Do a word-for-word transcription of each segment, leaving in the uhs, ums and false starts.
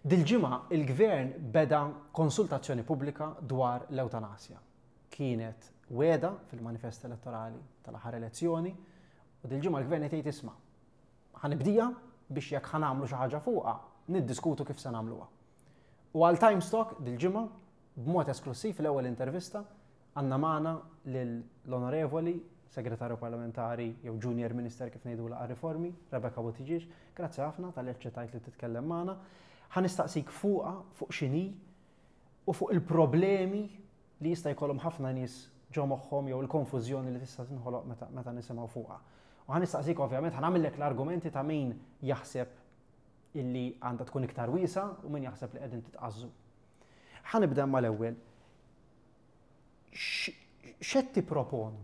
Dil-ġimgħa il-Gvern beda konsultazzjoni pubblika dwar l-ewtanasja. Kienet wegħda fil-manifest elettorali tal-aħħar elezzjoni u dil-ġimgħa l-Gvern qed jgħid, "Isma', ħa nibdieha biex jekk ħa nagħmlu xi ħaġa fuqha, niddiskutu kif se nagħmluha." U għal Times Talk dil-ġimgħa, b'mod esklusiv, l-ewwel intervista, għandna magħna lill-Onorevoli Segretarju Parlamentari jew Junior Minister kif ngħidula għar-riformi, Rebecca Buttigieg. Grazzi ħafna talli aċċettajt li titkellem magħna. Ħa nistaqsik fuqha, fuq x'inhi u fuq il-problemi li jista' jkollhom ħafna nies ġo moħħhom jew il-konfużjoni li tista' tinħoloq meta, meta nisimgħu fuqha. U ħa nistaqsik, ovvjament, ħa nagħmellek l-argumenti ta' min jaħseb illi għandha tkun iktar wiesgħa u min jaħseb li qegħdin titqażżu. Ħa nibda mal-ewwel. X'qed tipproponu?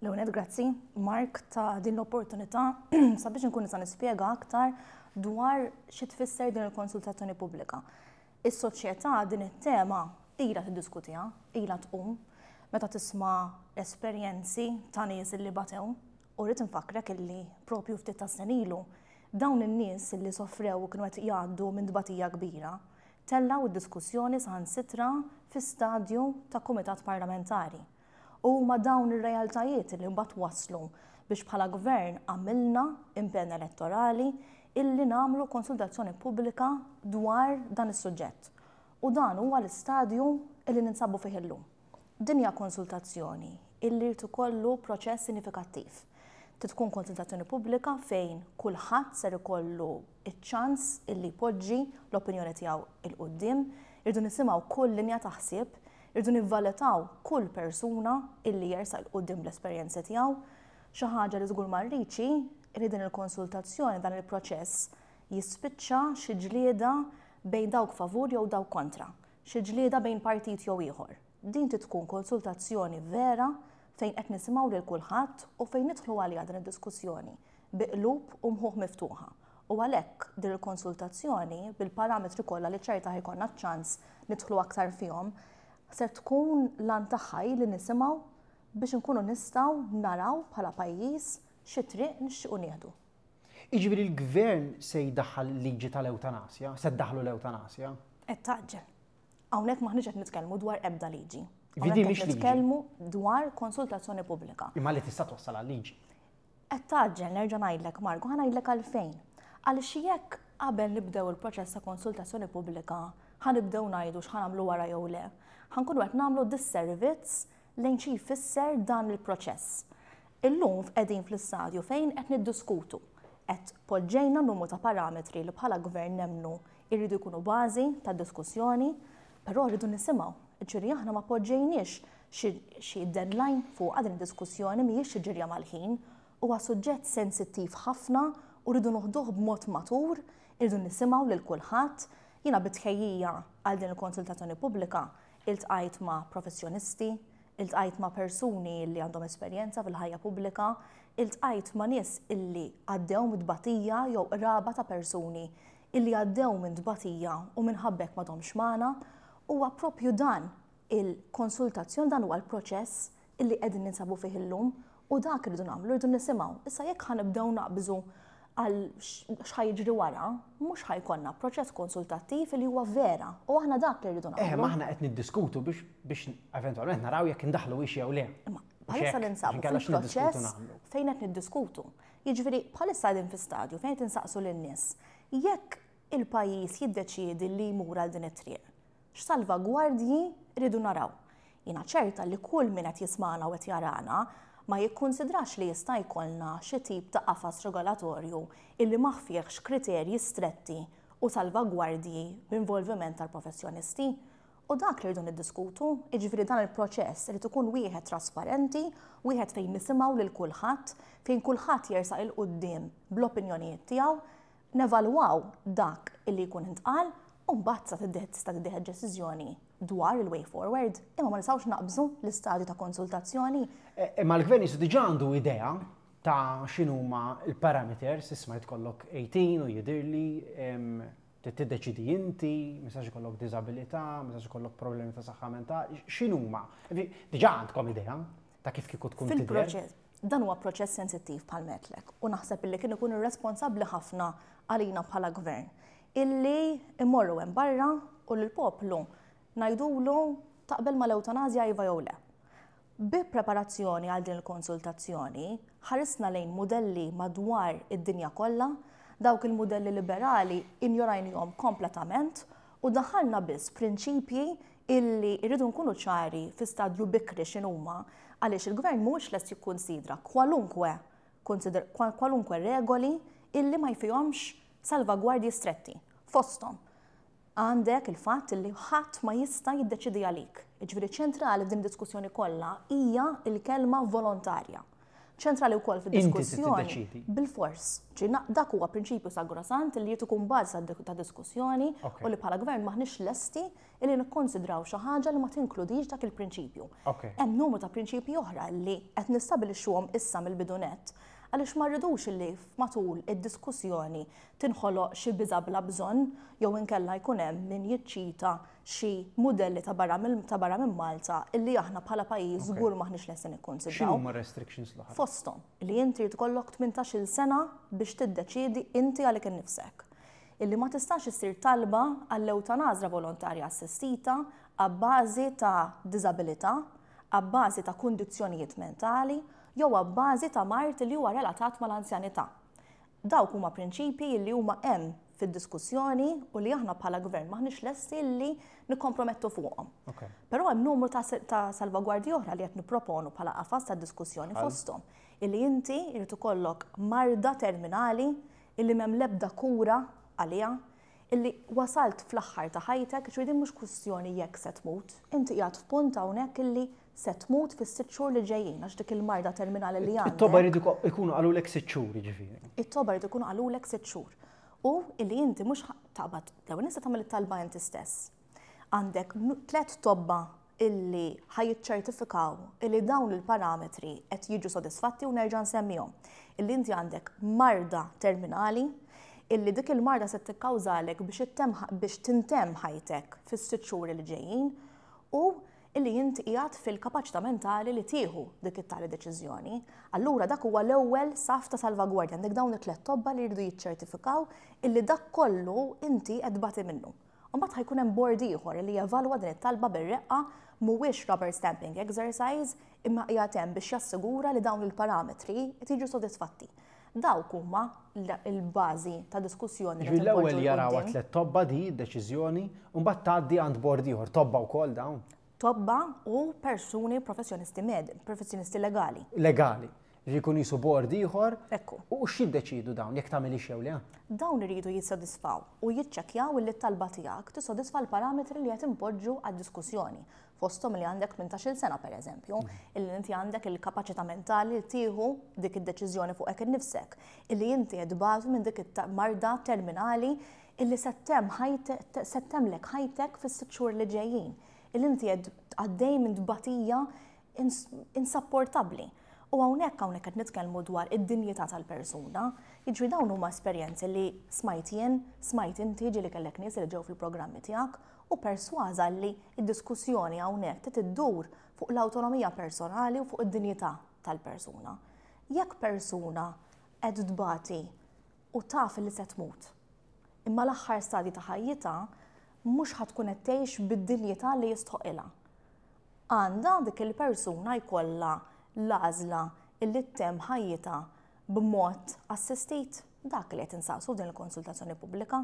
L-ewwel, grazzi, Mark, ta' din l-opportunità sabiex nkun nista' nispjega aktar dwar xi tfisser din il-konsultazzjoni pubblika. Is-soċjetà din it-tema ilha tiddiskutiha, ilha tqum meta tisma' esperjenzi ta' nies li batew, u rrid nfakkrek illi propju ftit ta' snin ilu dawn in-nies li sofrew u kienu qed jgħaddu minn tbatija kbira tellgħu d-diskussjoni saħansitra fi stadju ta' kumitat parlamentari. U ma dawn ir-realtajiet li mbagħad waslu biex bħala gvern għamilna impenn elettorali illi nagħmlu konsultazzjoni pubblika dwar dan is-suġġett. U dan huwa l-istadju illi ninsabu fih illum. Din hija konsultazzjoni illi jrid ikollu proċess sinifikattiv. Tkun konsultazzjoni pubblika fejn kulħadd ser ikollu iċ-ċans illi jpoġġi l-opinjoni tiegħu 'il quddiem, irridu nisimgħu kull linja ta' ħsieb, irridu nivvalutaw kull persuna illi jersaq 'il quddiem bl-esperjenzi tiegħu. Xi ħaġa li żgur ma rridx li din il-konsultazzjoni, dan il-proċess jispiċċa xi ġlieda bejn dawk favur jew dawk kontra, xi ġlieda bejn partit jew ieħor. Din tkun konsultazzjoni vera fejn qed nisimgħu lil kulħadd u fejn nidħlu għalija din id-diskussjoni bi qlub u mħuħ miftuħa. U għalhekk din il-konsultazzjoni, bil-parametri kollha li ċerta ħa jkollna ċans nidħlu aktar fihom, ser tkun l-għan tagħha li nisimgħu biex nkunu nistgħu naraw bħala pajjiż xi triq nixtiequ nieħdu. Jiġifieri l-gvern se jdaħħal liġi tal-ewtanasja, se ddaħlu l-ewtanasja? Qed tgħaġġel. Hawnhekk m'aħniex qed nitkellmu dwar ebda liġi. Vidi mhix liġi. Nitkellmu dwar konsultazzjoni pubblika. Imma li tista' twassal għal liġi. Qed tgħaġġel, nerġa' ngħidlek, Mark, ħa ngħidlek għalfejn. Għaliex jekk qabel nibdew il-proċess ta' konsultazzjoni pubblika ħa nibdew ngħidu x'ħa nagħmlu wara jew le, ħa nkunu qed nagħmlu disservizz lejn xi jfisser dan il-proċess. Illum qegħdin fl-istadju fejn qed niddiskutu. Qed poġġejna numru ta' parametri li bħala gvern nemmnu irridu jkunu bażi ta' diskussjoni, però rridu nisimgħu. Ġifieri aħna ma poġġejniex xi deadline fuq din id-diskussjoni, mhijiex xi ġirja mal-ħin, huwa suġġett sensittiv ħafna u rridu noħduh b'mod matur, irridu nisimgħu lil kulħadd. Jiena bi tħejjija għal din il-konsultazzjoni pubblika iltqajt ma' professjonisti, iltqajt ma' persuni li għandhom esperjenza fil-ħajja pubblika, iltqajt ma' nies illi għaddew minn tbatija jew qraba ta' persuni illi għaddew minn tbatija u minħabba hekk m'għadhomx magħna. Huwa propju dan il-konsultazzjoni, dan huwa l-proċess illi qegħdin ninsabu fih illum u dak irridu nagħmlu, rridu nisimgħu. Issa jekk ħa nibdew naqbżu għal x'ħa jiġri wara, mhux ħa jkollna proċess konsultattiv li huwa vera u aħna dak li rridu Eh, nagħmlu. ma aħna qed niddiskutu biex biex eventwalment naraw jekk indaħluhiex jew le. Imma bħalissa Xek, ninsabu inkella x'niddiskutu fil-proċess nagħmlu. fejn qed niddiskutu. Jiġifieri bħalissa qegħdin fi stadju fejn qed insaqsu lin-nies jekk il-pajjiż jiddeċiedi li jmur għal din it-triq, x'salvagwardji rridu naraw? Jiena ċerta li kull min qed jismana u qed jarana ma jikkonsidrax li jista' jkollna xi tip ta' qafas regolatorju illi ma fihx kriterji stretti u salvagwardji b'involviment tal-professjonisti. U dak li rridu niddiskutu, jiġifieri dan il-proċess irid ikun wieħed trasparenti, wieħed fejn nisimgħu lil kulħadd, fejn kulħadd jersaq 'il quddiem bl-opinjonijiet tiegħu, nevalwaw dak illi jkun intqal u mbagħad sa tista' tittieħed deċiżjoni dwar il-way forward, imma ma nistgħux naqbżu l-istadju ta' konsultazzjoni. Eh, Imma l-gvern qisu diġà għandu idea ta' x'inhuma l-parameters, isma' jkollok tmintax u jidirli em, trid tiddeċidi inti, ma jistax ikollok diżabilità, ma jistax ikollok problemi ta' saħħa mentali, x'inhuma? Diġà għandkom idea ta' kif kieku tkun tidher? Fil-proċess, dan huwa proċess sensittiv bħal għedtlek u naħseb illi kien ikun irresponsabbli ħafna għalina bħala gvern Illi immorru hemm barra u l-poplu ngħidulu taqbel mal-ewtanazja, iva jew le. Bi preparazzjoni għal din il-konsultazzjoni, ħarisna lejn modelli madwar id-dinja kollha, dawk il-modelli liberali injorajnihom kompletament u daħalna biss prinċipji illi rridu nkunu ċari fi stadju bikri x'inhuma, għaliex il-gvern mhux lest jikkunsidra kwalunkwe kwalunkwe regoli illi ma jfihomx salvagwardji stretti. Fosthom, għandek il-fatt li ħadd ma jista' jiddeċidi għalik. Ġifieri ċentrali f'din diskussjoni kollha hija il-kelma volontarja. Ċentrali wkoll fid-diskussjoni. Bil-fors. Dak huwa prinċipju sagrosant li jrid ikun bażi ta' diskussjoni u li bħala gvern maħniex lesti li nikkonsidraw xi ħaġa li ma tinkludix dak il-prinċipju. Hemm numru ta' prinċipji oħra li qed nistabilixxuhom issa mill-bidu nett, għaliex ma rridux li matul id-diskussjoni tinħoloq xi biża bla bżonn jew inkella jkun hemm min jiċċita xi mudelli ta' barra minn ta' barra minn Malta illi aħna bħala pajjiż żgur maħniex lesti nikkonsidraw. X'inhuma restrictions l-oħra? Fosthom li inti jrid ikollok tmintax-il sena biex tiddeċiedi inti għalik innifsek. Illi ma tistax issir talba għall-ewtanazja volontarja assistita abbażi ta' diżabilità, abbażi ta' kundizzjonijiet mentali jew abbażi ta' mard li huwa relatat mal-anzjanità. Dawk huma prinċipji li huma hemm fid-diskussjoni u li aħna bħala gvern maħniex lesti li nikkompromettu fuqhom. Però hemm numru ta', ta salvagwardji oħra li qed nipproponu bħala qafas ta' diskussjoni, fosthom illi inti jrid ikollok marda terminali illi m'hemm l-ebda kura għaliha, illi wasalt fl-aħħar ta' ħajtek, ġifieri din mhux kwistjoni jekk se tmut, inti qiegħed f'punt hawnhekk illi se tmut fis-sitt xhur li ġejjin għax dik il-marda terminali li għandek. It-tobba jridu ikunu qalulek sitt xhur, jiġifieri. It-tobba jridu ikunu qalulek sitt xhur. U illi inti mhux taqbad, l-ewwel nista' tagħmel it-talba inti stess. Għandek tliet tobba illi ħa jiċċertifikaw illi dawn il-parametri qed jiġu sodisfatti, u nerġa' nsemmihom. Illi inti għandek marda terminali, illi dik il-marda se tikkawżalek biex biex tintemm ħajtek fis-sitt xhur li ġejjin u illi inti qiegħed fil-kapaċità mentali li tieħu dik it-tali deċiżjoni. Allura dak huwa l-ewwel saf ta' salvagwardja, għandek dawn it-tliet tobba li jridu jiċċertifikaw illi dak kollu inti qed tbati minnu. U mbagħad ħa jkun hemm board ieħor li jevalwa din it-talba bir-reqqa. Mhuwiex rubber stamping exercise, imma qiegħed hemm biex jassigura li dawn il-parametri qed jiġu sodisfatti. Dawk huma l-bażi ta' diskussjoni. Ġifieri l-ewwel jaraw tliet tobba di deċiżjoni u mbagħad tgħaddi għand board ieħor, tobba wkoll dawn. Tobba u persuni professjonisti med, professjonisti legali. Legali. Jkun jisu board ieħor. Ekku. U x'jiddeċidu dawn, jekk tagħmel jew le? Dawn iridu jissodisfaw u jiċċekkjaw li t-talba tiegħek tissodisfa l-parametri li qed impoġġu għad-diskussjoni. Fosthom li għandek tmintax-il sena, pereżempju, illi inti għandek il-kapaċità mentali li tieħu dik id-deċiżjoni fuqek innifsek, illi inti qed minn dik marda terminali illi se ttemmlek ħajtek fis-sitt xhur li ġejjin, illi inti qed għaddej minn tbatija insapportabbli. U hawnhekk hawnhekk qed nitkellmu dwar id-dinjità tal-persuna. Jiġri dawn huma esperjenzi li smajt jien, smajt inti, ġieli kellek nies li ġew fil-programmi tiegħek, u persważa li id-diskussjoni hawnhekk trid iddur fuq l-awtonomija personali u fuq id-dinjità tal-persuna. Jekk persuna qed tbati u taf li se tmut, imma l-aħħar stadji ta' ħajjitha mhux ħa tkun qed tgħix bid-dinjità li jistħoqilha, għandha dik il-persuna jkollha l-għażla illi ttemm ħajjitha b'mod assistit? Dak li qed insaqsu din il-konsultazzjoni pubblika.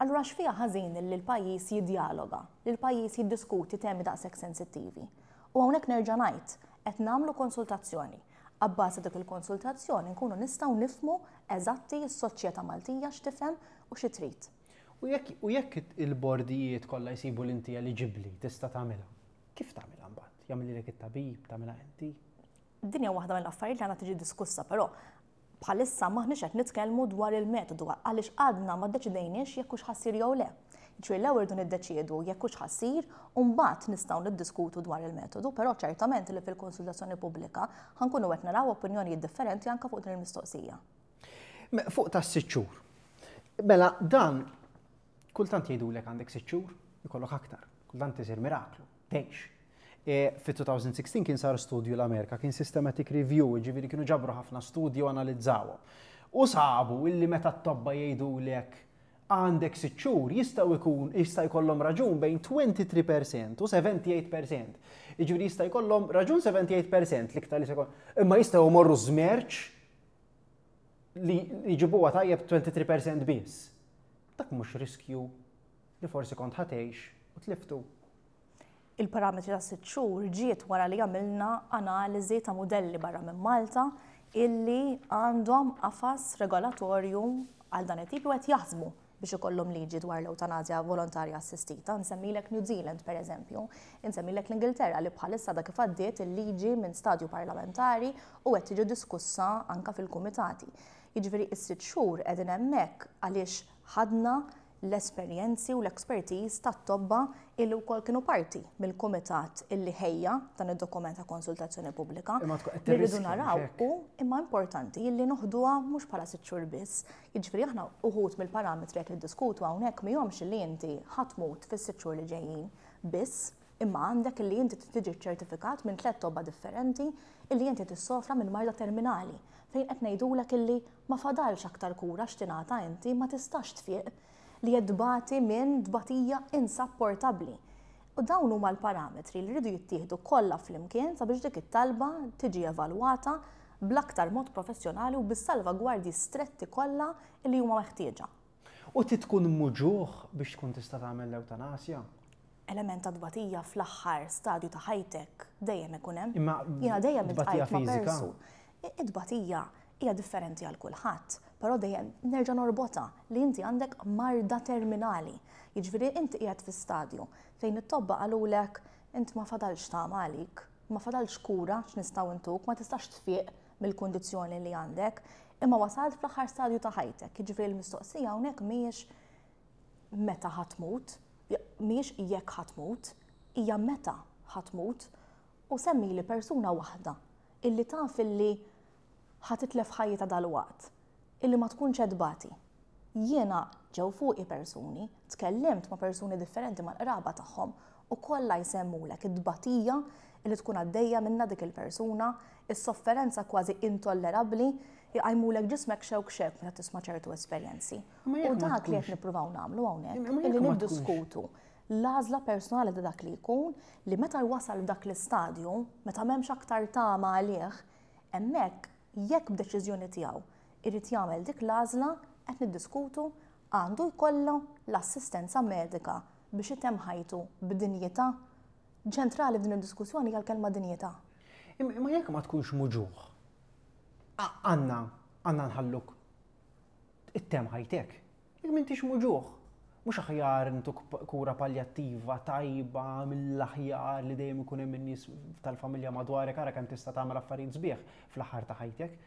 Allura x'fiha ħażin li l-pajjiż jiddialoga, li l-pajjiż jiddiskuti temi daqshekk sensittivi? U hawnhekk nerġa' ngħid, qed nagħmlu konsultazzjoni. Abbażi dik il-konsultazzjoni nkunu nistgħu nifhmu eżatti s-soċjetà Maltija x'tifhem u xi trid. U jekk u jekk il-bordijiet kollha jsibu li inti eliġibbli tista' tagħmilha, kif tagħmilha mbagħad? Jagħmililek it-tabib, tagħmilha inti? Din hija waħda mill-affarijiet li għandha tiġi diskussa, però bħalissa maħniex qed nitkellmu dwar il-metodu għaliex għadna ma ddeċidejniex jekk hux ħa ssir jew le. Ġifieri l-ewwel irridu niddeċiedu jekk hux ħa ssir u mbagħad nistgħu niddiskutu dwar il-metodu, però ċertament li fil-konsultazzjoni pubblika ħa nkunu qed naraw opinjonijiet differenti anke fuq din il-mistoqsija. Fuq ta' sitt xhur. Mela dan kultant jgħidulek għandek sitt xhur, ikollok aktar. Kultant isir miraklu, tgħix. E, Fi elfejn u sittax kien sar studju l-Amerika, kien systematic review, ġifieri kienu ġabru ħafna studju u analizzawhom. U sabu illi meta t-tobba jgħidulek Għandek sitt xhur jistgħu jkun jista' jkollhom raġun bejn tlieta u għoxrin fil-mija u sebgħa u sebgħin fil-mija. Jiġifieri jista' jkollhom raġun sebgħa u sebgħin fil-mija l-iktar li se jkun. Imma jistgħu jmorru żmerċ li jġibuha tajjeb tlieta u għoxrin fil-mija biss. Dak mhux riskju li forsi kont ħa tgħix u tliftu? Il-parametri ta' sitt xhur ġiet wara li għamilna analiżi ta' modelli barra minn Malta illi għandhom qafas regolatorju għal dan it-tip u qed jaħsbu biex ikollhom liġi dwar l-eutanazja volontarja assistita. Nsemmilek New Zealand, per eżempju, insemmilek l-Ingilterra li bħalissa da kif għaddiet il-liġi minn stadju parlamentari u qed tiġi diskussa anka fil-kumitati. Jiġifieri is-sitt xhur qegħdin hemmhekk għaliex ħadna l-esperjenzi u l-expertise tat-tobba illi wkoll kienu parti mill-kumitat illi ħejja dan id-dokument ta' konsultazzjoni pubblika. Imma tkun qed Li rridu tirriskja, naraw mhux hekk? u imma importanti illi noħduha mhux bħala sitt xhur biss. Jiġifieri aħna uħud mill-parametri qed niddiskutu hawnhekk mihomx li inti ħa tmut fis-sitt xhur li ġejjin biss, imma għandek illi inti tiġi ċertifikat minn tliet tobba differenti illi inti tissofra minn marda terminali, fejn qed ngħidulek illi ma fadalx aktar kura x'tingħata, inti ma tistax tfiq, li tbati minn tbatija insapportabbli. U dawn huma l-parametri li rridu jittieħdu kollha flimkien sabiex dik it-talba tiġi evalwata bl-aktar mod professjonali u bis-salvagwardji stretti kollha li huma meħtieġa. U ti tkun muġugħ biex tkun tista' tagħmel l-eutanasja? Element ta' tbatija fl-aħħar stadju ta' ħajtek dejjem ikun hemm. Imma Jiena dejjem tbatija iltqajt ma' fiżika? persu. It-tbatija hija differenti għal kulħadd, però dejjem nerġa' norbota li inti għandek marda terminali. Jiġifieri inti qiegħed fi stadju fejn it-tobba qalulek inti ma fadalx tama għalik, ma fadalx kura x'nistgħu ntuk, ma tistax tfiq mill-kundizzjoni li għandek, imma wasalt fl-aħħar stadju ta' ħajtek. Jiġifieri l-mistoqsija hawnhekk mhijiex meta ħa tmut, mhijiex jekk ħa tmut, hija meta ħa tmut. U semmili persuna waħda illi taf illi ħa titlef ħajjitha dalwaqt, illi ma tkunx tbati. Jiena ġew fuqi persuni, tkellimt ma' persuni differenti, mal-qraba tagħhom, u kollha jsemmulek id-tbatija illi tkun għaddejja minna dik il-persuna, is-sofferenza kważi intollerabbli, jqajmulek ġismek xewk xewk meta tisma' ċertu esperjenzi. Ma U jekk ma dak li qed tkunx- nippruvaw nagħmlu hawnhekk, Imma jekk illi ma tkunx- niddiskutu l-għażla personali ta' dak li jkun, li meta jwasal f'dak l-istadju, meta m'hemmx aktar tama għalih, hemmhekk jekk b'deċiżjoni tiegħu irid jagħmel dik l-għażla, qed niddiskutu għandu jkollu l-assistenza medika biex itemm ħajtu b'dinjità. Ċentrali f'din id-diskussjoni hija l-kelma dinjità. Imma imma jekk ma tkunx muġugħ, għandna għandna nħalluk ittemm ħajtek. Jekk m'intix muġugħ, mhux aħjar ntuk kura palljattiva tajba mill-aħjar li dejjem ikun hemm in-nies tal-familja madwarek, ara kemm tista' tagħmel affarijiet sbieħ fl-aħħar ta' ħajtek?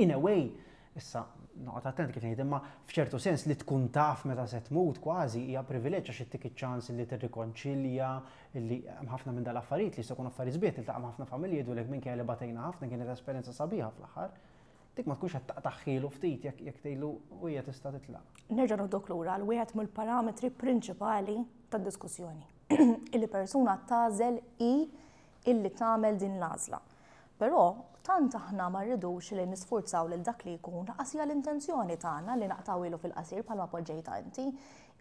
In a way, issa noqgħod attent kif ngħid, imma f'ċertu sens li tkun taf meta se tmut kważi hija privileġġ, għax ittik iċ-ċans li tirrikonċilja, li hemm ħafna minn dal-affarijiet li jista' jkun affarijiet sbieħ, tiltaqa' ma' ħafna familji jgħidulek minkejja li batejna ħafna, kienet esperjenza sabiħa fl-aħħar. Dik ma tkunx qed taqtagħhielu ftit jekk jekk tgħidlu u hija tista' titlaq? Nerġa' noħdok lura għal wieħed mill-parametri prinċipali tad-diskussjoni. Illi persuna tagħżel i illi tagħmel din l-għażla. Però tant aħna ma rridux li nisfurzaw lil dak li jkun, lanqas hija l-intenzjoni tagħna li naqtgħuhielu fil-qasir bħalma poġġejta inti,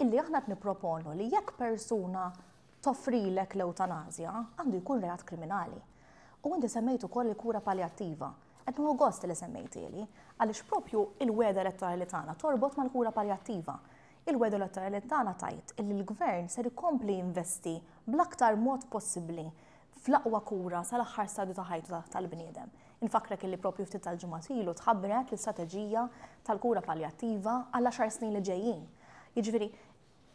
illi aħna qed nipproponu li jekk persuna toffrilek l-eutanazja, għandu jkun reat kriminali. U inti semmejt ukoll il-kura palljattiva. Qed nieħu gost li semmejtili, għaliex propju il-wegħda elettorali tagħna torbot mal-kura palljattiva. Il-wegħda elettorali tagħna tgħid illi l-gvern ser ikompli jinvesti bl-aktar mod possibbli fl-aqwa kura sal-aħħar stadju ta' ħajtu tal-bniedem. Infakrek illi propju ftit tal-ġimgħat ilu tħabbret l-istrateġija tal-kura palljattiva għal għaxar snin li ġejjin. Jiġifieri,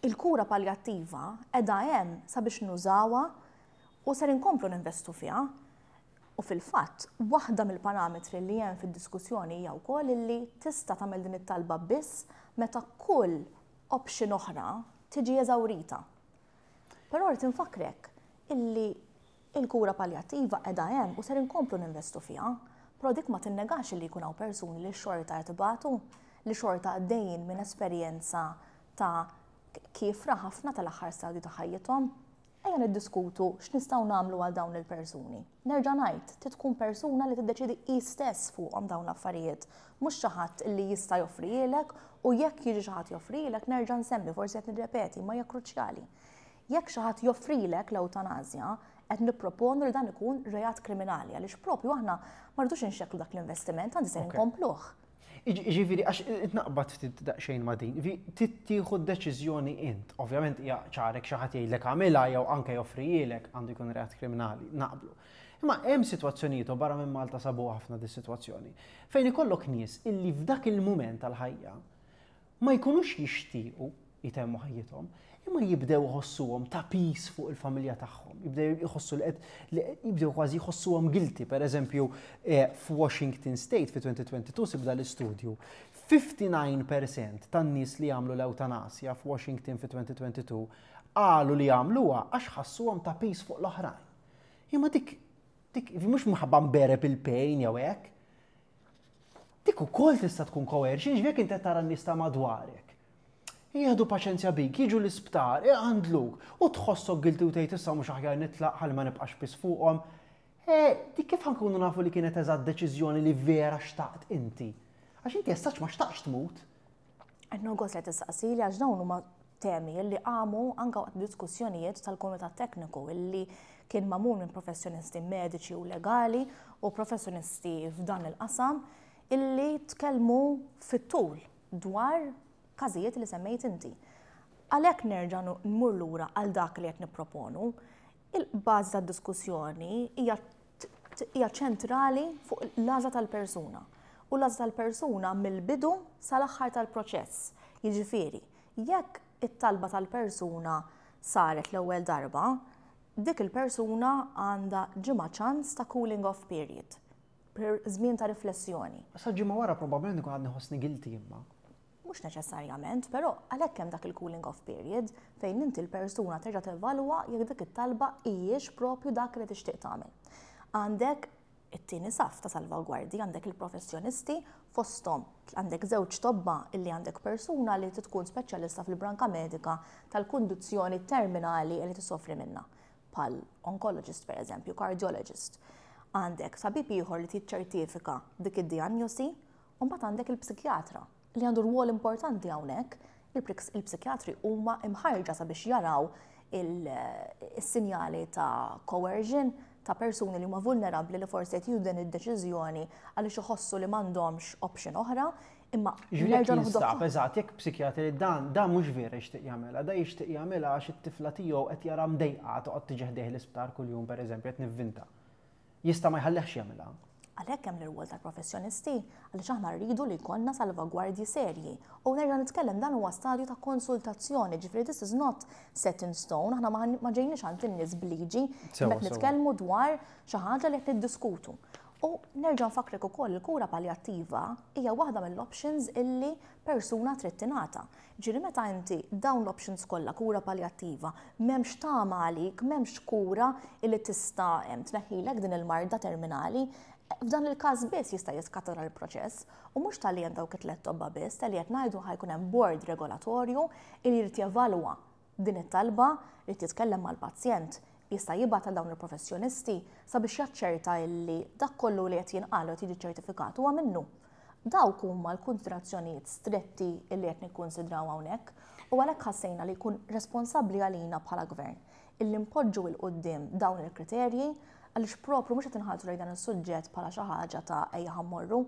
il-kura palljattiva qiegħda hemm sabiex nużawha u ser inkomplu ninvestu fiha. U fil-fatt, waħda mill-parametri li hemm fid-diskussjoni hija wkoll illi tista' tagħmel din it-talba biss meta kull option oħra tiġi eżawrita. Però rrid infakrek illi il-kura palljattiva qiegħda hemm u ser inkomplu ninvestu fiha, però dik ma tinnegax li jkun hawn persuni li xorta qed ibatu, li xorta għaddejjin minn esperjenza ta' kiefra ħafna tal-aħħar stadju ta' ħajjithom. Ejja niddiskutu x'nistgħu nagħmlu għal dawn il-persuni. Nerġa' ngħid, trid tkun persuna li tiddeċidi hi stess fuqhom dawn l-affarijiet, mhux xi ħadd li jista' joffrilek, u jekk jiġi xi ħadd joffrilek, nerġa' nsemmi, forsi qed nirrepeti, ma hija kruċjali. Jekk xi ħadd joffrilek l-ewtanasja, qed nipproponu li dan ikun reat kriminali, għaliex propju aħna ma rridux inxekklu dak l-investiment, għandi se nkompluh. Ġifieri, għax naqbad ftit daqsxejn ma' din, tieħu deċiżjoni int, ovvjament hija ċarek xi ħadd jgħidlek għamilha jew anke joffrijielek, għandu jkun reat kriminali, naqblu. Imma hemm sitwazzjonijiet, u barra minn Malta sabu ħafna di sitwazzjoni, fejn ikollok nies illi f'dak il-mument tal-ħajja ma jkunux jixtiequ jitemmu ħajjithom, imma jibdew iħossuhom ta' piż fuq il-familja tagħhom, jibdew jħossu li qed jibdew kważi jħossuhom guilty. Per eżempju, eh, f'Washington State fi elfejn u tnejn u għoxrin sibda l-istudju, ħamsa u ħamsin fil-mija tan-nies li jagħmlu l-ewtanasja f'Washington fi elfejn u tnejn u għoxrin qalu li jagħmluha għax ħassuhom ta' piż fuq l-oħrajn. Imma dik dik mhux minħabba mbereb il-pain jew hekk. Dik ukoll tista' tkun coercion, ġifieri inti tara n-nies ta' madwarek jieħdu paċenzja bik, jiġu l-isptar, iqandluk, u tħossok guilty u tgħid issa mhux aħjar nitlaq ħalli ma nibqax piż fuqhom. E, dik kif ħa nkunu nafu li kienet eżatt deċiżjoni li vera xtaqt inti? Għax inti essaċ ma xtaqx tmut. Qed gost li tistaqsili, għax dawn huma temi li qamu anka waqt diskussjonijiet tal-Kumitat Tekniku illi kien magħmul minn professjonisti mediċi u legali u professjonisti f'dan il-qasam illi tkellmu fit-tul dwar każijiet li semmejt inti. Għalhekk nerġa' nmur lura għal dak li qed nipproponu. Il-bażi tad-diskussjoni hija hija ċentrali fuq l-għażla tal-persuna. U l-għażla tal-persuna mill-bidu sal-aħħar tal-proċess. Jiġifieri, jekk it-talba tal-persuna saret l-ewwel darba, dik il-persuna għandha ġimgħa ċans ta' cooling off period, per żmien ta' riflessjoni. Sa ġimgħa wara probabbilment ikun għadni ħossni guilty imma. Mhux neċessarjament, però għalhekk hemm dak il-cooling off period fejn inti l-persuna terġa' tevalwa jekk dik it-talba hijiex propju dak li tixtieq tagħmel. Għandek it-tieni saf ta' salvagwardji, għandek il-professjonisti, fosthom għandek żewġ tobba, illi għandek persuna li tkun speċjalista fil-branka medika tal-kundizzjoni terminali li tisofri minna, bħal oncologist per eżempju, cardiologist. Għandek tabib ieħor li tiċċertifika dik id-diagnosi, u mbagħad għandek il-psikjatra li għandu rwol importanti hawnhekk. Il-psikjatri huma imħarġa sabiex jaraw il-sinjali ta' coercion, ta' persuni li huma vulnerabbli li forsi qed jieħdu din id-deċiżjoni għaliex iħossu li m'għandhomx option oħra, imma Ġifieri nerġa' jekk noħdu jinstab, eżatt, jekk psikjatri dan, dan mhux vera jixtieq jagħmilha, da jixtieq jagħmilha għax it-tifla tiegħu qed jara mdejqa toqgħod tiġi ħdejh l-isptar kuljum, pereżempju, qed nivvinta. Jista' ma jħallihx jagħmilha. Għalhekk hemm l-irwol tal-professjonisti, għaliex aħna rridu li jkollna salvagwardji serji. U nerġa' nitkellem, dan huwa stadju ta' konsultazzjoni, ġifieri this is not set in stone, aħna ma ma ġejniex għand in-nies bliġi, Sewa, imma qed sewa. nitkellmu dwar xi ħaġa li qed niddiskutu. U nerġa' nfakrek ukoll, il-kura paljattiva hija waħda mill-options illi persuna trid tingħata. Ġifieri meta inti dawn l-options kollha, kura paljattiva, m'hemmx tama għalik, m'hemmx kura illi tista' em, tneħħilek din il-marda terminali, f'dan il-każ biss jista' jiskatta l-proċess, u mhux talli hemm dawk it-tliet tobba biss, talli qed ngħidu ħa jkun hemm board regolatorju li jrid jevalwa din it-talba, jrid jitkellem mal-pazjent, jista' jibgħat għal dawn il-professjonisti sabiex jaċċerta illi dak kollu li qed jinqal u qed jiġi ċertifikat huwa minnu. Dawk huma l-konsiderazzjonijiet stretti illi qed nikkonsidraw hawnhekk, u għalhekk ħassejna li jkun responsabbli għalina bħala gvern illi npoġġu 'l quddiem dawn il-kriterji, għaliex propru mhux qed inħarsu lejn dan is-suġġett bħala xi ħaġa ta' ejja ħa mmorru,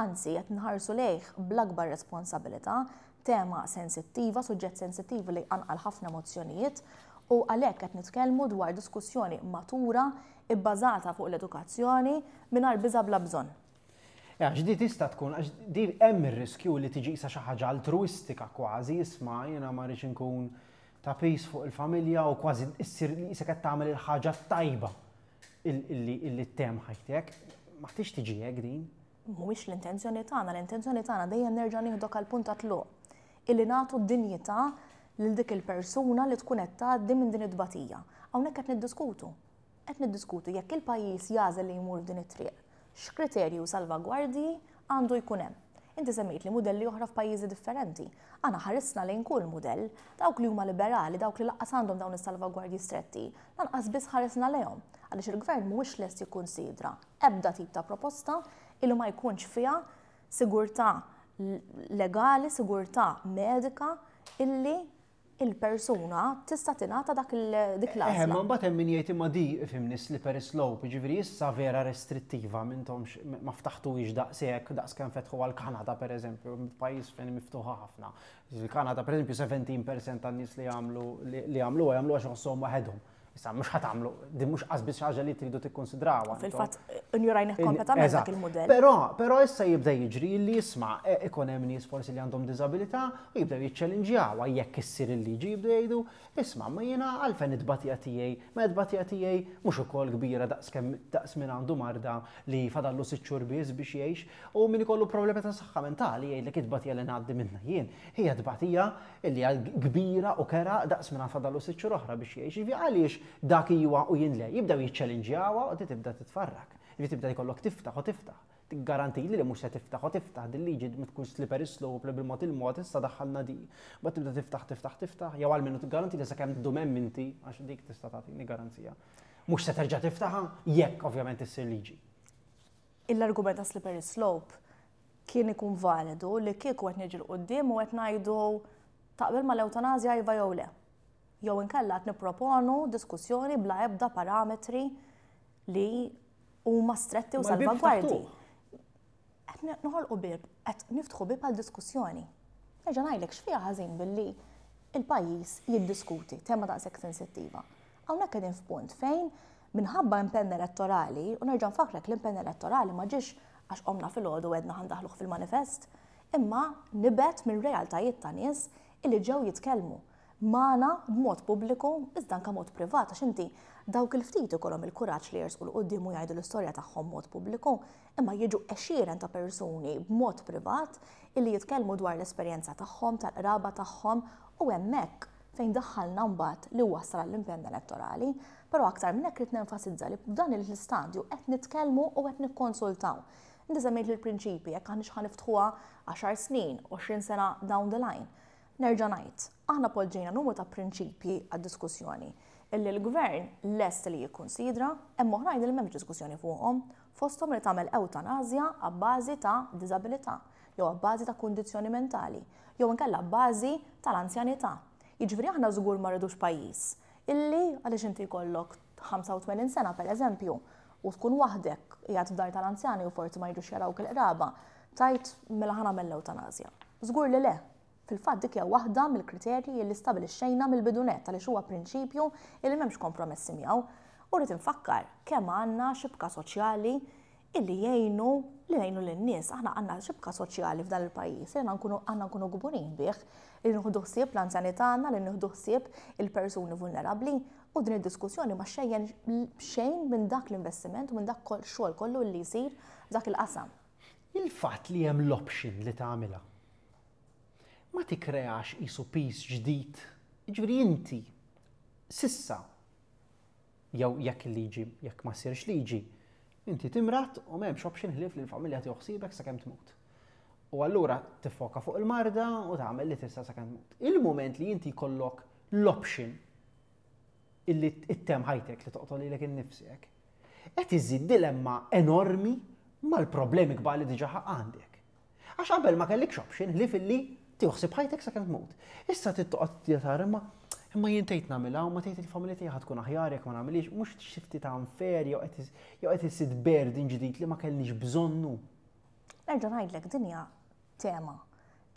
anzi qed nħarsu lejh bl-akbar responsabilità, tema sensittiva, suġġett sensittiv li qanqal ħafna emozzjonijiet, u għalhekk qed nitkellmu dwar diskussjoni matura ibbażata fuq l-edukazzjoni mingħajr biża' bla bżonn. Għax di tista' tkun, għax di hemm ir-riskju li tiġi isa xi ħaġa altruistika kważi, isma' jiena ma rridx inkun ta' piż fuq il-familja, u kważi issir li isek qed tagħmel il-ħaġa tajba illi illi ttemm ħajtek. Ma tix tiġi hekk din. Mhuwiex l-intenzjoni tagħna, l-intenzjoni tagħna dejjem nerġa' nieħdok għal punt ta' tluq, illi nagħtu dinjità lil dik il-persuna li tkun qed tgħaddi minn din it-tbatija. Hawnhekk qed niddiskutu. Qed niddiskutu jekk il-pajjiż jagħżel li jmur f'din it-triq, x'kriterju salvagwardji għandu jkun hemm. Inti semmejt li mudelli oħra f'pajjiżi differenti. Aħna ħarisna lejn kull mudell, dawk li huma liberali, dawk li lanqas għandhom dawn is-salvagwardji stretti, lanqas biss ħarisna lejhom. Għaliex il-gvern mhuwiex lest jikkunsidra ebda tip ta' proposta illi ma jkunx fiha sigurtà legali, sigurtà medika illi il-persuna tista' tingħata dak dik l-għażla. Ma mbagħad hemm min jgħid imma di ifhimni slippery slope, jiġifieri issa vera restrittiva m'intomx ma ftaħtuhiex daqshekk daqs kemm fetħu għall-Kanada pereżempju, pajjiż fejn miftuħa ħafna. Il-Kanada pereżempju sebatax fil-mija tan-nies li jagħmlu li jagħmlu jagħmlu għax iħossuhom waħedhom. Issa mhux ħa tagħmlu, din mhux qas biss ħaġa li tridu tikkonsidrawha. Fil-fatt injorajna kompletament dak il-mudell. Però però issa jibda jiġri li jisma' e, ikun hemm nies forsi li għandhom diżabilità u jibdew jiċċellinġjawha jekk issir il-liġi, jibdew jgħidu: "Isma', ma jiena għalfejn it-tbatija tiegħi, ma it-tbatija tiegħi mhux ukoll kbira daqs kemm daqs min għandu marda li fadallu sitt xhur biss biex jgħix?" U min ikollu problemi ta' saħħa mentali jgħidlek: "It-tbatija li ngħaddi minnha jien hija tbatija li hija kbira u kerha daqs min fadallu sitt xhur oħra biex jgħix." Jiġifieri għaliex dak iwa u jien le? Jibdew jiċċellinġjawha u tibda titfarrak. Jiġifieri tibda jkollok tiftaħ u tiftaħ. Tiggarantili li mhux se tiftaħ u tiftaħ dil-liġi, tkun slippery slope li bil-mod il-mod issa daħħalna di. Ba tibda tiftaħ, tiftaħ, tiftaħ, jew għalmenu tiggaranti li sakemm ddum hemm inti, għax dik tista' tagħtini garanzija. Mhux se terġa' tiftaħha jekk ovvjament issir liġi. L-argument ta' slippery slope kien ikun validu li kieku qed niġu 'l quddiem u qed ngħidu: "Taqbel mal-ewtanazja, iva jew le?" Jew inkella qed nipproponu diskussjoni bla ebda parametri li huma stretti u salvagwardji. Qed noħolqu bib, qed niftħu bib għal diskussjoni. Nerġa' ngħidlek, x'fiha ħażin billi il-pajjiż jiddiskuti tema daqshekk sensittiva? Hawnhekk qegħdin f'punt fejn minħabba impenn elettorali, u nerġa' nfakrek, l-impenn elettorali ma ġiex għax qomna filgħodu għedna ħa ndaħħluh fil-manifest, imma nibet minn realtajiet ta' nies illi ġew jitkellmu magħna b'mod pubbliku, iżda anke mod privat, għax inti dawk il-ftit ikollhom il-kuraġġ li jersqu 'l quddiem u jgħidu l-istorja tagħhom mod pubbliku, imma jiġu għexieren ta' persuni b'mod privat illi jitkellmu dwar l-esperjenza tagħhom, tal-qraba tagħhom, u hemmhekk fejn daħħalna mbagħad li wassal l-impenn elettorali, però aktar minn hekk rid nenfasizza li f'dan l-istadju qed nitkellmu u qed nikkonsultaw. Inti semmejt l-prinċipi, jekk aħniex ħa niftħuha għaxar snin, għoxrin sena down the line. Nerġa' ngħid, aħna poġġejna numru ta' prinċipji għad-diskussjoni illi l-gvern lest li jikkonsidra, hemm oħrajn li m'hemmx diskussjoni fuqhom, fosthom li tagħmel ewtanazja abbażi ta' diżabilità, jew abbażi ta' kundizzjoni mentali, jew inkella abbażi tal-anzjanità. Jiġifieri aħna żgur ma rridux pajjiż illi għaliex inti jkollok ħamsa u tmenin sena pereżempju u tkun waħdek qiegħed f'dar tal-anzjani u forsi ma jiġux jarawk il-qraba, tgħid: "Mela ħa nagħmel l-ewtanazja." Żgur li le. Fil-fatt dik hija waħda mill-kriterji li stabilixxejna mill-bidu nett għaliex huwa prinċipju li m'hemmx kompromessi miegħu. U rrid infakkar kemm għandna xibka soċjali illi jgħinu li jgħinu lin-nies. Aħna għandna xibka soċjali f'dan il-pajjiż li nkunu għandna nkunu kburin bih, li nieħdu ħsieb l-anzjani tagħna, li nieħdu ħsieb il-persuni vulnerabbli, u din id-diskussjoni ma xejjen xejn minn dak l-investiment u minn dak xogħol kollu li jsir dak il-qasam. Il-fatt li hemm l-option li tagħmilha ma tikkreax qisu piż ġdid? Ġifieri inti s'issa, jew jekk il-liġi, jekk ma ssirx liġi, inti timrad u m'hemmx option ħlief li l-familja tieħu ħsiebek sakemm tmut. U allura tiffoka fuq il-marda u tagħmel li tista' sakemm tmut. Il-moment li inti jkollok l-option illi ittemm ħajtek, li toqtol lilek innifsek, qed iżid dilemma enormi mal-problemi kbar li diġà għandek. Għax qabel ma kellikx option li filli tieħu ħsieb ħajtek sakemm tmut. Issa trid toqgħod tara imma imma jien tgħid nagħmilha u ma tgħid il-familja tiegħi ħa tkun aħjar jekk ma nagħmilix, mhux xi ftit ta' unfair jew qed jew qed iżid burden ġdid li ma kellniex bżonnu? Nerġa' ngħidlek, din hija tema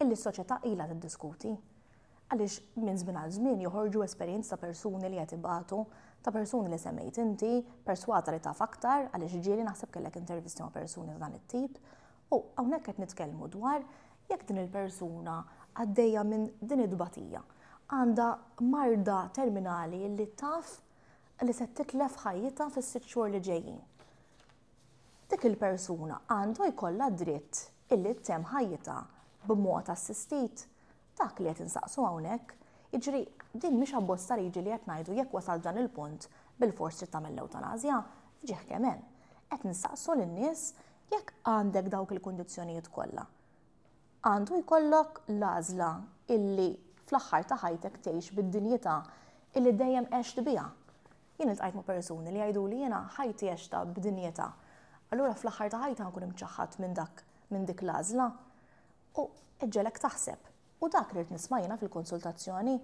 illi s-soċjetà ilha tiddiskuti. Għaliex minn żmien għal żmien joħorġu esperjenzi ta' persuni li qed ibatu, ta' persuni li semmejt inti, perswata li taf aktar, għaliex ġieli naħseb kellek intervisti ma' persuni ta' dan it-tip. U hawnhekk qed nitkellmu dwar jekk din il-persuna għaddejja minn din id-tbatija, għandha marda terminali li taf li se titlef ħajjitha fis-sitt xhur li ġejjin. Dik il-persuna għandu jkollha dritt illi ttemm ħajjitha b'mod assistit? Dak li qed insaqsu hawnhekk. Jiġri din mhix abbozz ta' liġi li qed ngħidu jekk wasal dan il-punt bil-fors trid tagħmel l-ewtanazja, ġieħ kemm hemm. Qed nistaqsu lin-nies: jekk għandek dawk il-kundizzjonijiet kollha, Għandu jkollok l-għażla illi fl-aħħar ta' ħajtek tgħix bid-dinjità illi dejjem għext biha. Jien iltqajt ma' persuni li jgħidu li jiena ħajti għextha b'dinjità. Allura fl-aħħar ta' ħajti nkun imċaħħad minn dak minn dik l-għażla. U iġġegħlek taħseb. U dak li nisma' jiena fil-konsultazzjoni,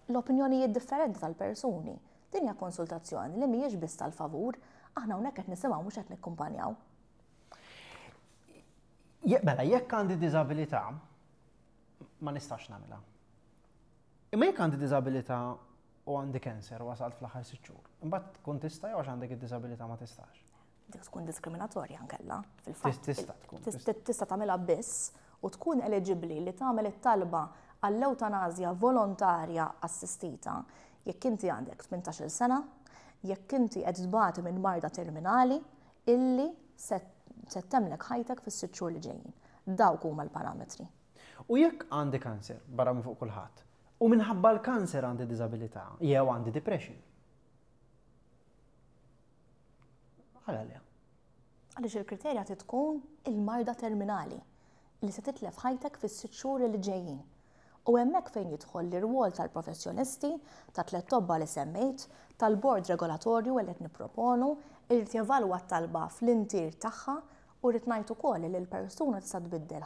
l-opinjonijiet differenti tal-persuni. Din hija konsultazzjoni li mhijiex biss tal-favur, aħna hawnhekk qed nisimgħu, mhux qed nikkumpanjaw. Mela, jekk għandi diżabilità, ma nistax nagħmilha. Imma jekk għandi diżabilità u għandi cancer u wasalt fl-aħħar sitt xhur, imbagħad tkun tista' jew għax għandek id-diżabilità ma tistax? Dik tkun diskriminatorja nkella, fil-fatt. Tista' tkun. Tista' tagħmilha biss u tkun eligibbli li tagħmel it-talba għall-eutanazja volontarja assistita jekk inti għandek tmintax-il sena, jekk inti qed tbati minn marda terminali illi se temmlek ħajtek fis-sitt xhur li ġejjin. Dawk huma l-parametri. U jekk għandi kanser barra minn fuq kulħadd, u minħabba l-kanser għandi diżabilità jew għandi depression. Għala le? Għaliex il-kriterja trid tkun il-marda terminali li se titlef ħajtek fis-sitt xhur li ġejjin. U hemmhekk fejn jidħol l-irwol tal-professjonisti, ta' tliet tobba li semmejt, tal-bord regolatorju li qed nipproponu, irid jevalwa t-talba fl-intier tagħha u rrid ngħid ukoll li l-persuna tista' tbiddel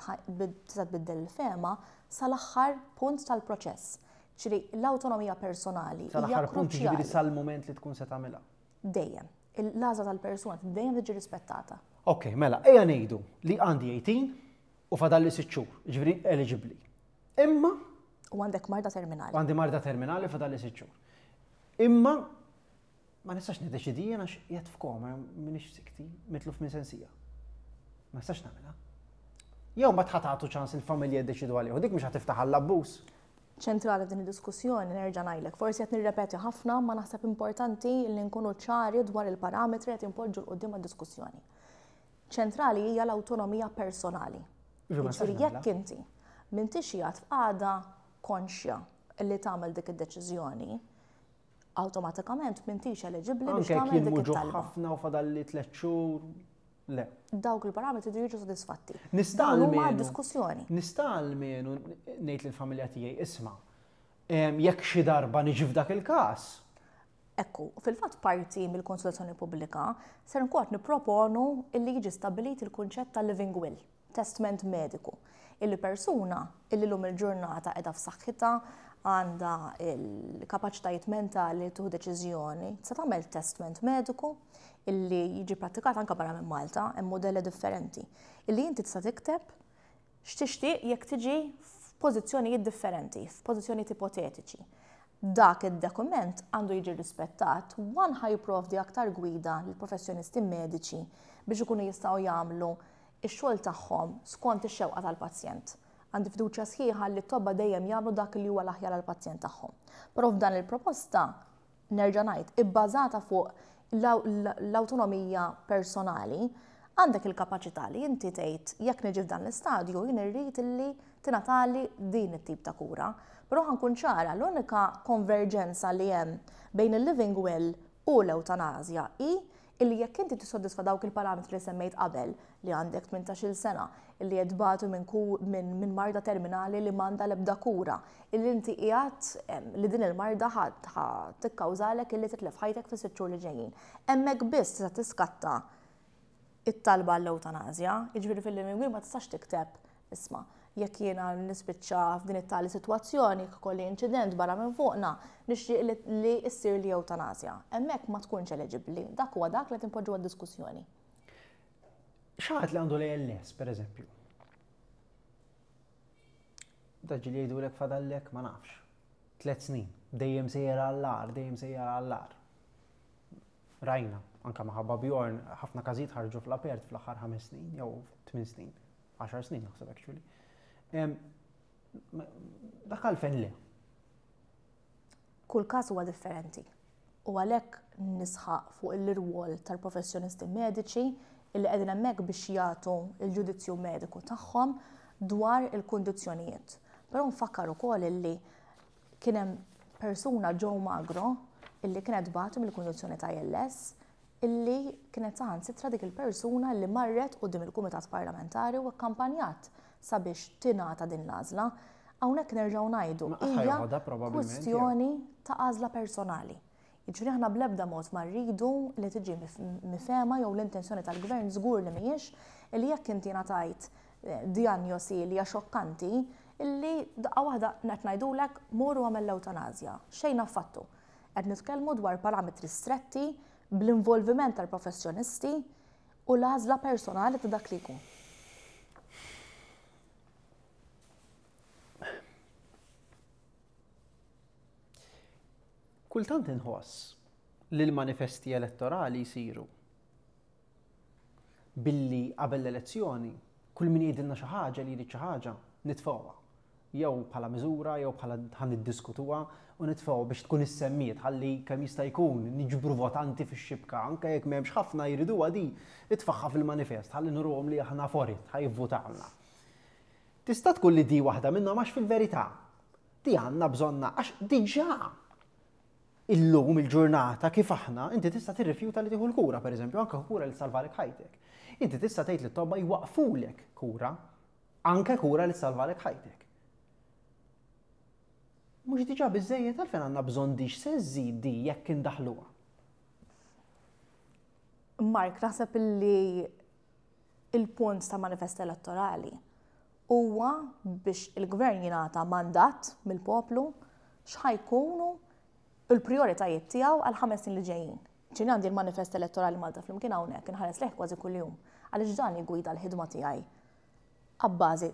tista' tbiddel il-fehma sal-aħħar punt tal-proċess. Ġifieri l-awtonomija personali hija Sal-aħħar punt, ġifieri kruċjali. sal-mument li tkun se tagħmilha. Dejjem. L-għażla tal-persuna dejjem tiġi rispettata. Ok, mela, ejja ngħidu li għandi eighteen u fadalli sitt xhur, ġifieri eligibbli. Imma U għandek marda terminali. U għandi marda terminali fadalli sitt xhur. Imma ma nistax niddeċidi jien għax qiegħed f'koma, m'iniex sikti, mitluf minn sensija. Ma nistax nagħmilha. Jew ma tħatatu ċans il-familja jiddeċidu għalih, u dik mhux ħatiftaħ għall-abbuż. Ċentrali f'din id-diskussjoni, nerġa' ngħidlek, forsi qed nirrepeti ħafna, ma naħseb importanti li nkunu ċari dwar il-parametri qed inpoġġu 'l quddiem għad-diskussjoni. Ċentrali hija l-awtonomija personali. Ġu, ma nistax Jiġifieri jekk nagħmilha. inti m'intix qiegħed f'qagħda konxja li tagħmel dik id-deċiżjoni, awtomatikament m'intix eliġibbli biex Anke jekk tagħmel dik jien muġugħ it-talba. ħafna u fadalli tliet xhur, le. Dawk il-parametri jridu jiġu sodisfatti. Nista' Dawn huma almenu diskussjoni. Nista' almenu ngħid lill-familja tiegħi, isma', em, jekk xi darba niġi f'dak il-każ. Ekku, fil-fatt parti mill-konsultazzjoni pubblika ser nkun qed nipproponu illi jiġi stabbilit il-kunċett ta' living will, testament mediku, illi persuna illi lum il-ġurnata qiegħda f'saħħitha, għandha il-kapaċitajiet mentali li tieħu deċiżjoni, se tagħmel testament mediku illi jiġi prattikat anke barra minn Malta, hemm modelli differenti, illi inti tista' tikteb x'tixtieq jekk tiġi f'pożizzjonijiet differenti, f'pożizzjonijiet ipotetiċi. Dak id-dokument għandu jiġi rispettat, one ħa jipprovdi aktar gwida lill-professjonisti mediċi biex ikunu jistgħu jagħmlu ix-xogħol tagħhom skont ix-xewqa tal-pazjent. Għandi fiduċja sħiħa li t-tobba dejjem jagħmlu dak li huwa l-aħjar għall-pazjent tagħhom. Però f'dan il-proposta, nerġa' ngħid, ibbażata fuq l-awtonomija personali, għandek il-kapaċità li inti tgħid jekk niġi f'dan l-istadju jien irrid illi tingħatali din it-tip ta' kura. Però ħa nkun ċara, l-unika konverġenza li hemm bejn il-living will u l-eutanazja hi illi jekk inti tissodisfa dawk il-parametri li semmejt qabel, li għandek tmintax-il sena, illi qed tbatu minn ku-, minn, minn marda terminali li m'għandha l-ebda kura, illi inti qiegħed, em, li din il-marda ħa, ħa tikkawżalek illi titlef ħajtek fis-sitt xhur li ġejjin. Hemmhekk biss tista' tiskatta it-talba għall-eutanazja, jiġifieri fil-living will ma tistax tikteb, isma', jekk jiena nispiċċa f'din it-tali sitwazzjoni, jekk ikolli inċident barra minn fuqna, nixtieq li, li issir li eutanazja. Hemmhekk ma tkunx eliġibbli, dak huwa dak li tinpoġġu għad-diskussjoni. X'ħadd li għandu l-A L S, per eżempju? Daġi li jgħidulek fadallek, ma nafx. Tliet snin, dejjem sejjer għall-agħar, dejjem sejjer għall-agħar. Rajna, anka maħabba Bjorn, ħafna każijiet ħarġu fl-apert fl-aħħar ħames snin, jew tmien snin, għaxar snin naħseb actually. Em, ma-, dak għalfejn le? Kull każ huwa differenti. U għalhekk nisħaq fuq il-rwol tal-professjonisti mediċi illi qegħdin hemmhekk biex jagħtu l-ġudizzju mediku tagħhom dwar il-kundizzjonijiet. Però nfakkar ukoll illi kien hemm persuna, Joe Magro, illi kienet batu mill-kundizzjoni ta' A L S, illi kienet saħansitra dik il-persuna li marret quddiem il-Kumitat Parlamentari u akkampanjat sabiex tingħata din l-għażla. Hawnhekk nerġgħu ngħidu hija kwistjoni ta' għażla personali. Jiġifieri aħna bl-ebda mod ma rridu li tiġi mifhema jew l-intenzjoni tal-gvern żgur li mhijiex li jekk inti ngħatajt dijanjosi li hija xokkanti illi daqqa waħda qed ngħidulek mur u għamel l-ewtanasja. Xejn affattu. Qed nitkellmu dwar parametri stretti bl-involviment tal-professjonisti u l-għażla personali ta' dak li jkun. Kultant inħoss li l-manifesti elettorali jsiru billi qabel l-elezzjoni kull min jgħidilna xi ħaġa li jrid xi ħaġa nitfgħuha. Jew bħala miżura jew bħala ħa niddiskutuha u nitfgħuha biex tkun issemmiet ħalli kemm jista' jkun niġbru votanti fix-xibka anke jekk m'hemmx ħafna jriduha di itfaħħa fil-manifest ħalli nuruhom li aħna forit ħa jivvutawna. Tista' tkun li di waħda minnhom għax fil-verità di għandna bżonna għax diġà illum il-ġurnata kif aħna, inti tista' tirrifjuta li tieħu l-kura, pereżempju, anke kura li salvalek ħajtek. Inti tista' tgħid li t-tobba jwaqfulek kura, anke kura li salvalek ħajtek. Mhux diġà biżejjed għalfejn għandna bżonn dix se żżid di jekk indaħluha. Mark, naħseb li il-punt ta' manifest elettorali huwa biex il-gvern jingħata mandat mill-poplu x'ħajkunu il-prioritajiet tiegħu għal ħames snin li ġejjin. Ġieli għandi l-manifest elettorali Malta Flimkien hawnhekk inħares lejh kważi kuljum għaliex dan jiggwida l-ħidma tiegħi abbażi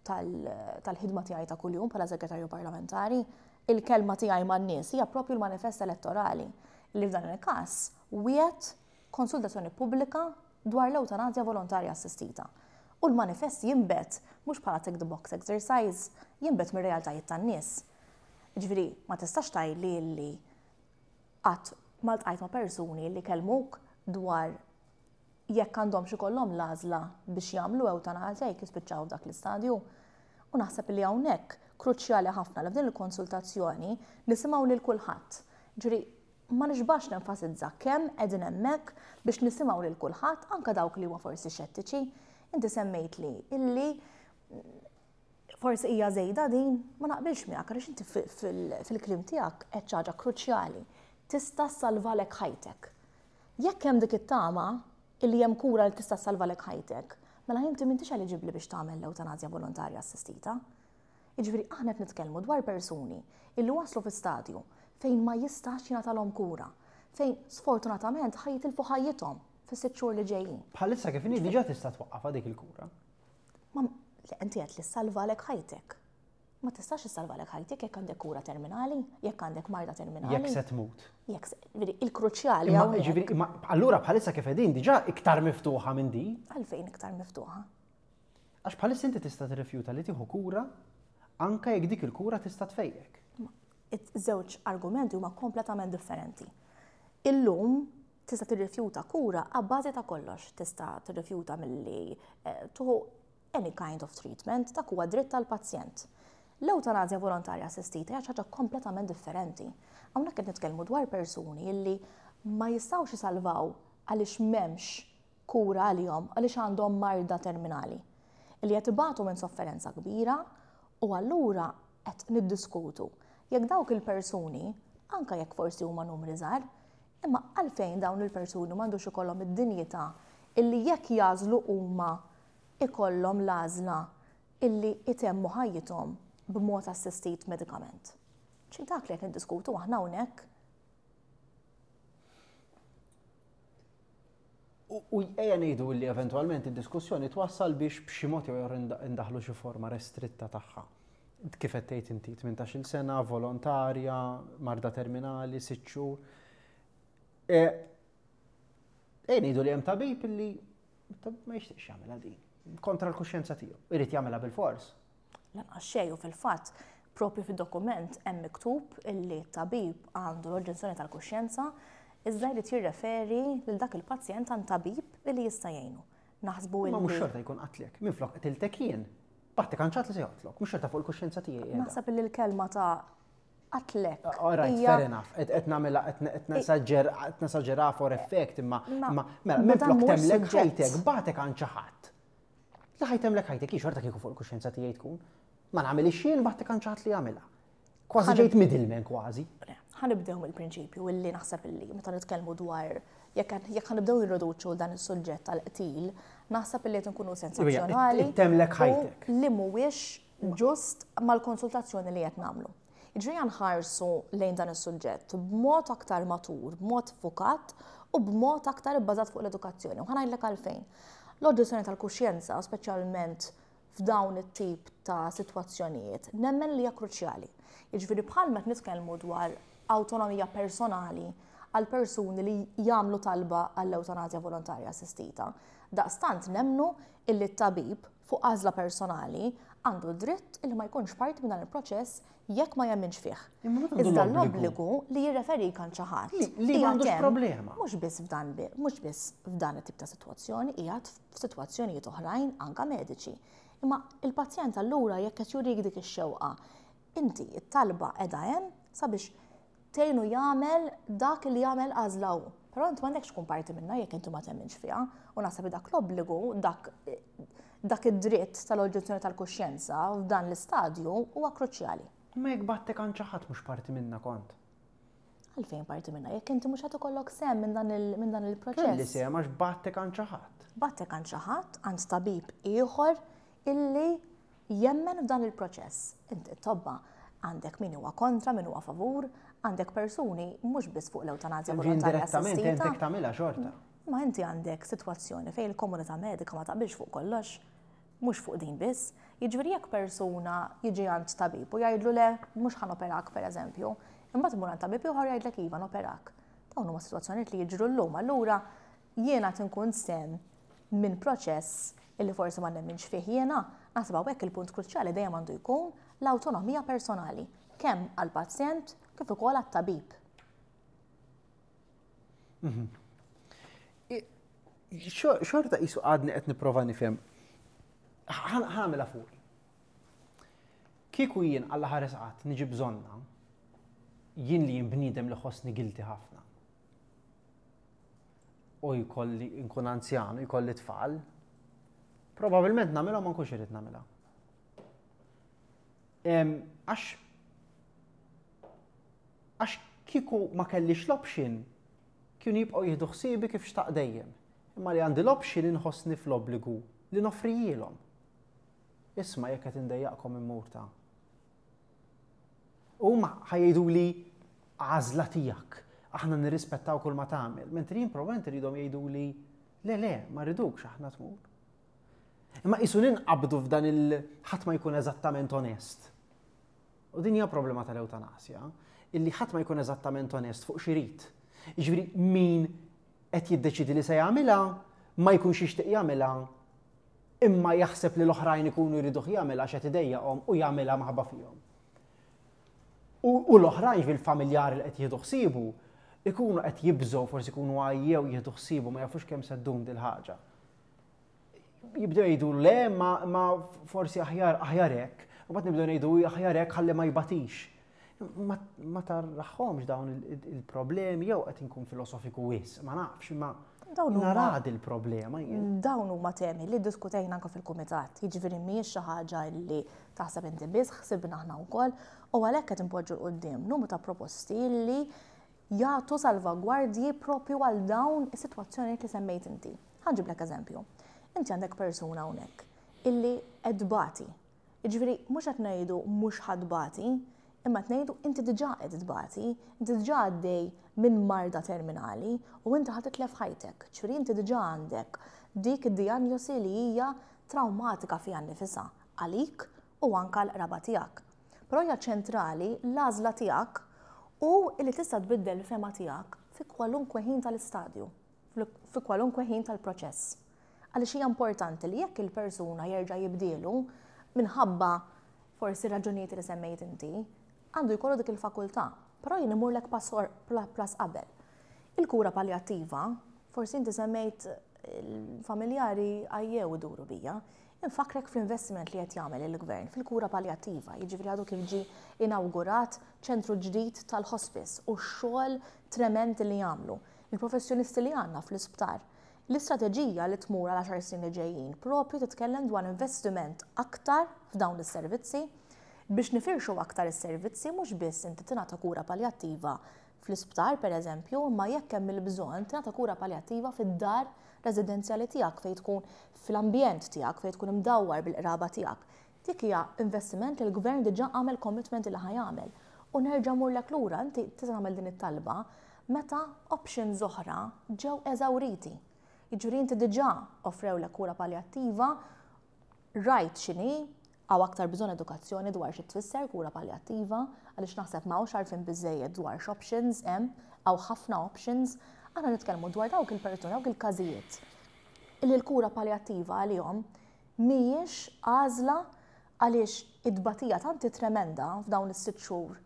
tal-ħidma tiegħi ta' kuljum bħala segretarju parlamentari. Il-kelma tiegħi man-nies hija proprju l-manifest elettorali li f'dan il-każ wiegħed konsultazzjoni pubblika dwar l-ewtanasja volontarja assistita. U l-manifest jinbet mhux bħala tick the box exercise, jinbet mir-realtajiet tan-nies. Ġifieri, ma tistax tgħidli li qatt ma ltqajt ma' persuni li kellmuk dwar jekk għandhomx ikollhom l-għażla biex jagħmlu ewtanasja jekk jispiċċaw f'dak l-istadju. U naħseb li hawnhekk kruċjali ħafna li f'din il-konsultazzjoni nisimgħu lil kulħadd. Ġifieri, ma nixbax nenfasizza kemm qegħdin hemmhekk biex nisimgħu lil kulħadd anke dawk li huma forsi xettiċi. Inti semmejtli illi forsi hija żejda din, ma naqbilx miegħek għaliex inti fil-kliem tiegħek qed xi ħaġa kruċjali. Tista' ssalvalek ħajtek. Jekk hemm dik it-tama illi hemm kura li tista' ssalvalek ħajtek, mela inti m'intix eliġibbli biex tagħmel l-ewtanasja volontarja assistita. Jiġifieri aħna qed nitkellmu dwar persuni illi waslu fi stadju fejn ma jistax jingħatalhom kura, fejn sfortunatament ħa jitilfu ħajjithom fis-sitt xhur li ġejjin. Bħalissa kif inhi diġà tista' twaqqafha dik il-kura. Ma inti qed li ssalvalek ħajtek. Ma tistax issalvalek ħajtek jekk għandek kura terminali, jekk għandek marda terminali. Jekk se tmut. Jekk se, ġifieri, il-kruċjali hawnhekk. Ġifieri, imma allura bħalissa kif qegħdin diġà iktar miftuħa minn di? Għalfejn iktar miftuħa? Għax bħalissa inti tista' tirrifjuta li tieħu kura anke jekk dik il-kura tista' tfejjek. Iż-żewġ argumenti huma kompletament differenti. Illum tista' tirrifjuta kura abbażi ta' kollox, tista' tirrifjuta milli tieħu any kind of treatment, dak huwa dritt tal-pazjent. L-ewtanasja volontarja assistita hija xi ħaġa kompletament differenti. Hawnhekk qed nitkellmu dwar persuni illi ma jistgħux isalvaw għaliex m'hemmx kura għalihom, għaliex għandhom marda terminali. Illi qed ibatu minn sofferenza kbira u allura qed niddiskutu jekk dawk il-persuni, anke jekk forsi huma numri żgħar, imma għalfejn dawn il-persuni m'għandux ikollhom id-dinjità illi jekk jażlu huma ikollhom l-għażla illi itemmu ħajjithom b'mod assistit medikament. Ċi dak li qed niddiskutu aħna hawnhekk. U ejja ngħidu li eventwalment id-diskussjoni twassal biex b'xi mod jew ieħor indaħlu xi forma restritta tagħha. Kif qed tgħid inti, tmintax-il sena, volontarja, marda terminali, sitt xhur. Ejja ngħidu li hemm tabib illi ma jixtieqx jagħmilha din, kontra l-kuxjenza tiegħu, irid jagħmilha bil-fors. Lanqas xejn u fil-fatt propju fid-dokument hemm miktub illi tabib għandu l-oġġezzjoni tal-kuxjenza iżda jrid jirreferi lil dak il-pazjent għand tabib illi jista' jgħinu. Naħsbu Ma mhux xorta jkun qatlek, minflok qtiltek jien. Baħtek għand xi ħadd li se joqtlok, mhux xorta fuq il-kuxjenza tiegħi qiegħda. Naħseb illi l-kelma ta' qatlek. All right, fair enough. Qed nagħmilha, qed nesaġġer, qed nesaġġera for effect, imma mela minflok temlek ħajtek, batek għand xi ħadd. Li ħa jtemmlek ħajtek, xorta kieku fuq il-kuxjenza tiegħi tkun. Ma nagħmilhiex jien, bagħtek għand xi ħadd li jagħmilha. Kważi ġejt middleman kważi. Ħa nibdew mill-prinċipju illi naħseb illi meta nitkellmu dwar jekk jekk ħa nibdew nirriduċu dan is-suġġett tal-qtil, naħseb illi qed nkunu sensazzjonali. Ittemmlek ħajtek. Li mhuwiex ġust mal-konsultazzjoni li qed nagħmlu. Jiġifieri nħarsu lejn dan is-suġġett b'mod aktar matur, b'mod fukat u b'mod aktar ibbażat fuq l-edukazzjoni. U ħa ngħidlek għalfejn. L-oġġezzjoni tal-kuxjenza, speċjalment f'dawn it-tip ta' sitwazzjonijiet, nemmen li hija kruċjali. Jiġifieri bħal meta nitkellmu dwar awtonomija personali għal persuni li jagħmlu talba għall-ewtanasja volontarja assistita. Daqstant nemmnu illi t-tabib fuq għażla personali għandu dritt illi ma jkunx parti minn dan il-proċess jekk ma jemminx fih. Iżda l-obbligu li jirreferik għand xi ħadd. Li m'għandux problema. Mhux biss f'dan mhux biss f'dan it-tip ta' sitwazzjoni, qiegħed f'sitwazzjonijiet oħrajn anka mediċi. Imma il-pazjent allura jekk qed jurik dik ix-xewqa, inti it-talba qiegħda hemm sabiex tgħinu jagħmel dak li jagħmel għażla hu. Però inti m'għandekx tkun parti minnha jekk inti ma temminx fiha u naħseb dak l-obbligu, dak dak id-dritt tal-oġġezzjoni tal-kuxjenza f'dan l-istadju huwa kruċjali. Ma jekk bagħtek għand xi ħadd mhux parti minnha kont. Għalfejn parti minnha, jekk inti mhux qed ikollok sehem minn dan il-proċess. Kelli sehem għax bagħtek għand xi ħadd. Bagħtek għand xi ħadd, għand tabib ieħor illi jemmen f'dan il-proċess. Inti tobba għandek min huwa kontra, min huwa favur, għandek persuni mhux biss fuq l-ewtanazja volontarja assistita. Indirettament tagħmilha xorta. Ma inti għandek sitwazzjoni fejn il-komunità medika ma taqbilx fuq kollox, mhux fuq din biss. Jiġifieri jekk persuna jiġi għand tabib u jgħidlu le mhux ħa noperak pereżempju, imbagħad imur għand tabib ieħor jgħidlek iva noperak. Dawn huma sitwazzjonijiet li jiġru llum, allura jiena tinkun sehem minn proċess illi forsi ma nemminx fih jiena, naħseb hawnhekk il-punt kruċjali dejjem għandu jkun l-awtonomija personali, kemm għall-pazjent kif ukoll għat-tabib. Mhm. Xorta qisu għadni qed nipprova nifhem. Ħa nagħmilha fuqi. Kieku jien Alla ħares qatt niġi bżonnha, jien li jien bniedem li ħossni guilty ħafna. U jkolli nkun anzjan u jkolli tfal, probabilment nagħmilha ma nkunx irid nagħmilha. Għax għax kieku ma kellix l-option, kienu jibqgħu jieħdu ħsiebi kif xtaq dejjem. Imma li għandi l-option inħossni fl-obbligu li noffrihielhom. Isma' jekk qed indejjaqkom immur ta'. Huma ħa jgħidu li għażla tiegħek, aħna nirrispettaw kull ma tagħmel, mentri jien probabbilment iridhom jgħidu li le le, ma rridukx aħna tmur. Imma qisu ninqabdu f'dan il ħadd ma jkun eżattament onest. U din hija problema tal-ewtanasja, illi ħadd ma jkun eżattament onest fuq x'irid. Jiġifieri min qed jiddeċidi li se jagħmilha, ma jkunx jixtieq jagħmilha, imma jaħseb li l-oħrajn ikunu jriduh jagħmilha għax qed idejjaqhom u jagħmilha maħabba fihom. U l-oħrajn fil-familjari li qed jieħdu ħsiebu ikunu qed jibżgħu, forsi ikunu għajjew jieħdu ħsiebu ma jafux kemm se ddum dil-ħaġa. Jibdew jgħidu le ma, ma forsi aħjar aħjar hekk, u mbagħad nibdew ngħidu aħjar hekk ħalli ma jbatix. Ma, ma tarahomx dawn il-problemi jew qed inkun filosofiku wisq, ma nafx, imma narad il-problema jien. Dawn huma temi li diskutejna anke fil-kumitat, jiġifieri mhijiex xi ħaġa li taħseb inti biss, ħsibna aħna wkoll, u għalhekk qed inpoġġu 'l quddiem numru ta' proposti li jagħtu salvagwardji propju għal dawn is-sitwazzjonijiet li semmejt inti. Ħa nġiblek eżempju. Inti għandek persuna hawnhekk illi qed tbati. Jiġifieri mhux qed ngħidu mhux ħa tbati, imma qed ngħidu inti diġà qed tbati, inti diġà għaddej minn marda terminali u inti ħa titlef ħajtek. Ġifieri inti diġà għandek dik id-dijanjosi li hija traumatika fiha nnifisha għalik u anka l-qraba tiegħek. Però hija ċentrali l-għażla tiegħek u li tista' tbiddel il-fehma tiegħek fi kwalunkwe ħin tal-istadju, fi kwalunkwe ħin tal-proċess. Għaliex hija importanti li jekk il-persuna jerġa' jibdielu minħabba forsi raġunijiet li semmejt inti, għandu jkollu dik il-fakultà, però jien imurlek pass qabel. Il-kura palliattiva, forsi inti semmejt il-familjari għajjew iduru bija, infakrek fl-investiment li qed jagħmel il-gvern fil-kura palliattiva, jiġifieri għadu kif ġie inawgurat ċentru ġdid tal-hospice u x-xogħol trement li jagħmlu. Il-professjonisti li għandna fl-isptar. L-istrateġija li tmur għal għaxar snin li ġejjin propju titkellem dwar investiment aktar f'dawn is-servizzi biex nifirxu aktar is-servizzi, mhux biss inti tingħata kura paljattiva fl-isptar, pereżempju, imma jekk hemm il-bżonn tingħata kura paljattiva fid-dar residenzjali tiegħek, fejn tkun fl-ambjent tiegħek, fejn tkun imdawwar bil-qraba tiegħek. Dik hija investiment li l-gvern diġà għamel commitment li ħa jagħmel. U nerġa' murlek lura, inti tista' tagħmel din it-talba meta options oħra ġew eżawriti. Jiġifieri inti diġà offrewlek kura paljattiva, rajt x'inhi, hawn aktar bżonn edukazzjoni dwar xi tfisser kura paljattiva, għaliex naħseb m'hawnx għarfien biżejjed dwar x'options hemm, hawn ħafna options. Aħna nitkellmu dwar dawk il-persuni, dawk il-każijiet illi l-kura paljattiva għalihom mhijiex għażla, għaliex id-batija tanti tremenda f'dawn is-sitt xhur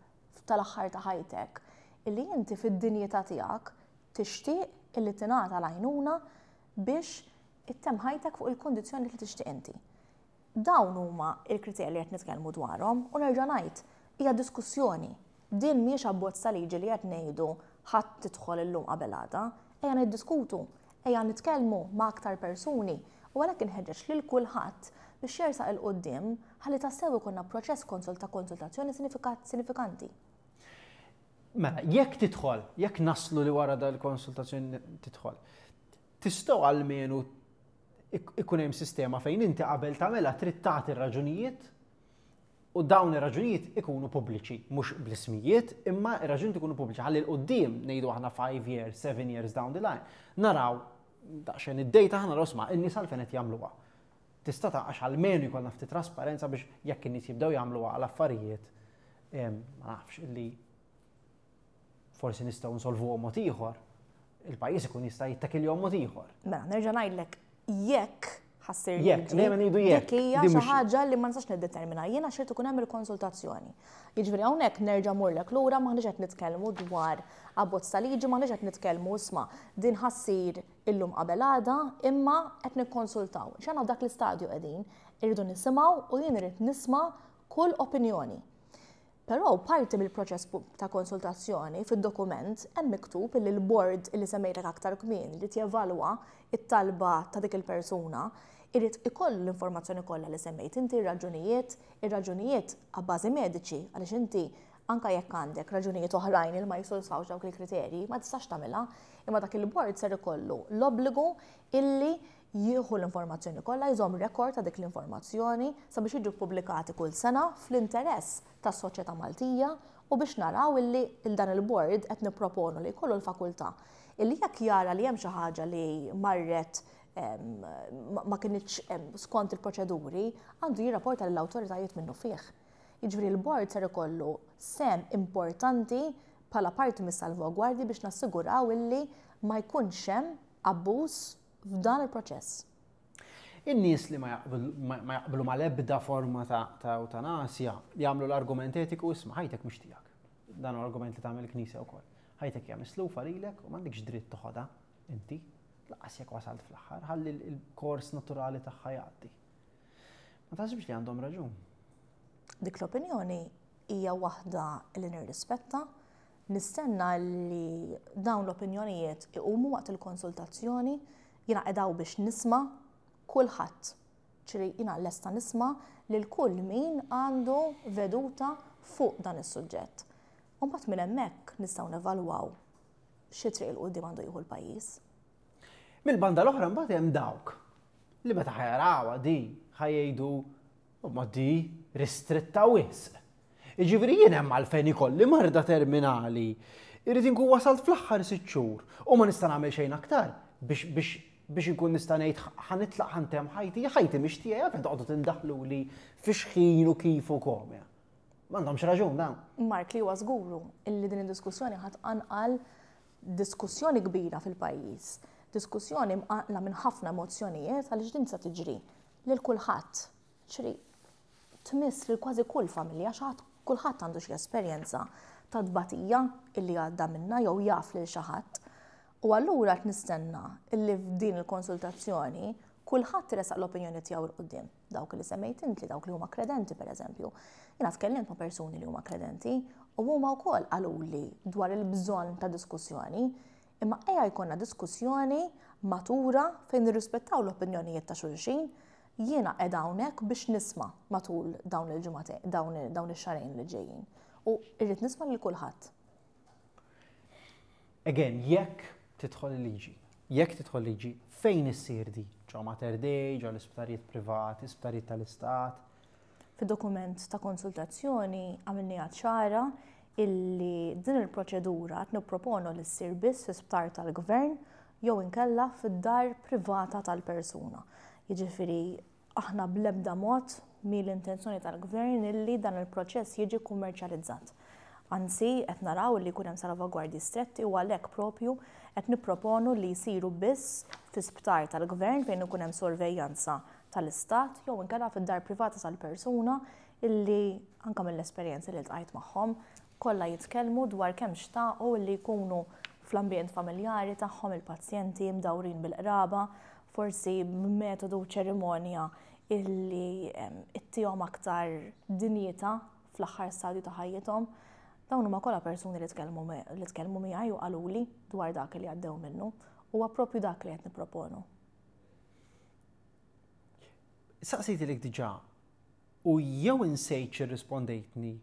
tal-aħħar ta' ħajtek illi inti fid-dinjità tiegħek tixtieq illi tingħata l-għajnuna biex ittemm ħajtek fuq il-kondizzjoni li tixtieq inti. Dawn huma il-kriterji li qed nitkellmu dwarhom u nerġa' ngħid, hija diskussjoni. Din mhijiex abbozz ta' liġi li qed ngħidu ħadd tidħol illum qabel għada, ejja niddiskutu, ejja nitkellmu ma' aktar persuni u għalhekk inħeġġeġ lil kulħadd biex jersaq 'il quddiem ħalli tassew ikollna proċess konsult ta' konsultazzjoni sinifikanti. Mela, jekk tidħol, jekk naslu li wara dal-konsultazzjoni tidħol, tistgħu almenu ikun hemm sistema fejn inti qabel tagħmilha trid tagħti r-raġunijiet u dawn ir-raġunijiet ikunu pubbliċi, mhux bl-ismijiet, imma ir-raġunijiet ikunu pubbliċi. Ħalli 'l quddiem ngħidu aħna five years, seven years down the line, naraw daqsxejn id-data, ħa naraw, isma', in-nies għalfejn qed jagħmluha. Tista' taqax almenu jkollna ftit trasparenza biex jekk in-nies jibdew jagħmluha għal affarijiet, ma nafx, illi forsi nistgħu nsolvuhom mod ieħor, il-pajjiż ikun jista' jittakilhom mod ieħor. Mela, nerġa' ngħidlek, jekk ħa ssir Jekk, dejjem ngħidu jekk. Dik hija xi ħaġa li ma nistax niddetermina jien għax irid ikun hemm il-konsultazzjoni. Jiġifieri hawnhekk nerġa' murlek lura, m'aħniex qed nitkellmu dwar abbozz ta' liġi, m'aħniex qed nitkellmu, isma', din ħa ssir illum qabel għada, imma qed nikkonsultaw. X'għandna f'dak l-istadju qegħdin, irridu nisimgħu u jien irid nisma' kull opinjoni. Però parti mill-proċess ta' konsultazzjoni, fid-dokument hemm miktub li l-board li semmejtek aktar kmieni li jevalwa it-talba ta' dik il-persuna irid ikollu l-informazzjoni kollha li semmejt inti, ir-raġunijiet, ir-raġunijiet għabbażi mediċi, għaliex inti anka jekk għandek raġunijiet oħrajn li ma jissodisfawx dawk il-kriterji, ma tistax tagħmilha, imma dak il-board ser ikollu l-obbligu illi jieħu l-informazzjoni kollha, jżomm rekord ta' dik l-informazzjoni sabiex jiġu pubblikati kull sena fl-interess tas-soċjetà Maltija u biex naraw illi il dan il-board qed nipproponu li jkollu l-fakultà illi jekk jara li hemm xi ħaġa li marret ma kinitx skont il-proċeduri, għandu jirrapporta lill-awtoritajiet minnu fih. Jiġifieri l-board ser ikollu sehem importanti bħala parti mis-salvagwardji biex nassiguraw illi ma jkunx hemm abbuż f'dan il-proċess. In-nies li ma jaqblu mal-ebda forma ta' eutanasja jagħmlu l-argument etiku, isma', ħajtek mhux tiegħek. Dan argument li tagħmel il-Knisja wkoll. Ħajtek hija mislufa lilek u m'għandekx dritt toħodha inti, lanqas jekk wasalt fl-aħħar, ħalli l-kors naturali tagħha jgħaddi. Ma taħsibx li għandhom raġun? Dik l-opinjoni hija waħda li nirrispetta, nistenna li dawn l-opinjonijiet iqumu waqt il-konsultazzjoni, jiena qiegħda biex nisma' kulħadd. Ċiri jiena lesta nisma' lil kull min għandu veduta fuq dan is-suġġett. U mbagħad minn hemmhekk nistgħu nevalwaw xi triq 'il quddiem għandu jieħu l-pajjiż. Mill-banda l-oħra mbagħad hemm dawk li meta ħa jarawha di ħa jgħidu, ma di ristretta wisq. Jiġifieri jien hemm għalfejn ikolli marda terminali, irrid inkun wasalt fl-aħħar sitt xhur u ma nista' nagħmel xejn aktar biex biex biex inkun nista' ngħid ħa nitlaq, ħa ntemm ħajti, ħajti mhix tiegħi, għalfejn toqgħodu tindaħluli fi xħin u kif u kom. M'għandhomx raġun dawn? Mark, li huwa żguru illi din id-diskussjoni ħa tqanqal diskussjoni kbira fil-pajjiż. Diskussjoni mqanqla minn ħafna emozzjonijiet għaliex din se tiġri lil kulħadd. Ċri tmiss lil kważi kull familja, xi kulħadd għandu xi esperjenza ta' tbatija illi għadda minna jew jaf lil xi ħadd. U allura qed nistenna illi f'din il-konsultazzjoni kulħadd resaq l-opinjoni tiegħu 'l quddiem. Dawk li semmejt inti, dawk li huma kredenti, pereżempju. Jiena tkellimt ma' persuni li huma kredenti u huma wkoll qaluli dwar il-bżonn ta' diskussjoni. Imma ejja jkollna diskussjoni matura fejn nirrispettaw l-opinjonijiet ta' xulxin. Jiena qiegħda hawnhekk biex nisma' matul dawn il-ġimgħatejn, dawn ix-xahrejn li ġejjin. U irrid nisma' lil kulħadd. Again, jekk tidħol il-liġi, jekk tidħol liġi, fejn issir di? Ġo Mater Dei, ġo l-isptarijiet privati, isptarijiet tal-istat? Fid-dokument ta' konsultazzjoni għamilniha ċara illi din il-proċedura qed nipproponu li ssir biss fi sptar tal-gvern jew inkella fid-dar privata tal-persuna. Jiġifieri aħna bl-ebda mod mhi l-intenzjoni tal-gvern illi dan il-proċess jiġi kummerċjalizzat. Anzi, qed naraw li jkun hemm salvagwardji stretti u għalhekk propju qed nipproponu li jsiru biss fi sptar tal-gvern fejn ikun hemm sorveljanza tal-istat jew inkella fid-dar privata tal-persuna, illi anke mill-esperjenzi li ltqajt magħhom kollha jitkellmu dwar kemm xtaqu li jkunu fl-ambjent familjari tagħhom il-pazjenti, mdawrin bil-qraba, forsi b'metodu, ċerimonja illi ittihom aktar dinjità fl-aħħar stadju ta' ħajjithom. Dawn huma kollha persuni li tkellmu li tkellmu miegħi u qaluli dwar dak li għaddew minnu. Huwa propju dak li qed nipproponu. Saqsejtilek diġà u jew insejt x'irrispondejtni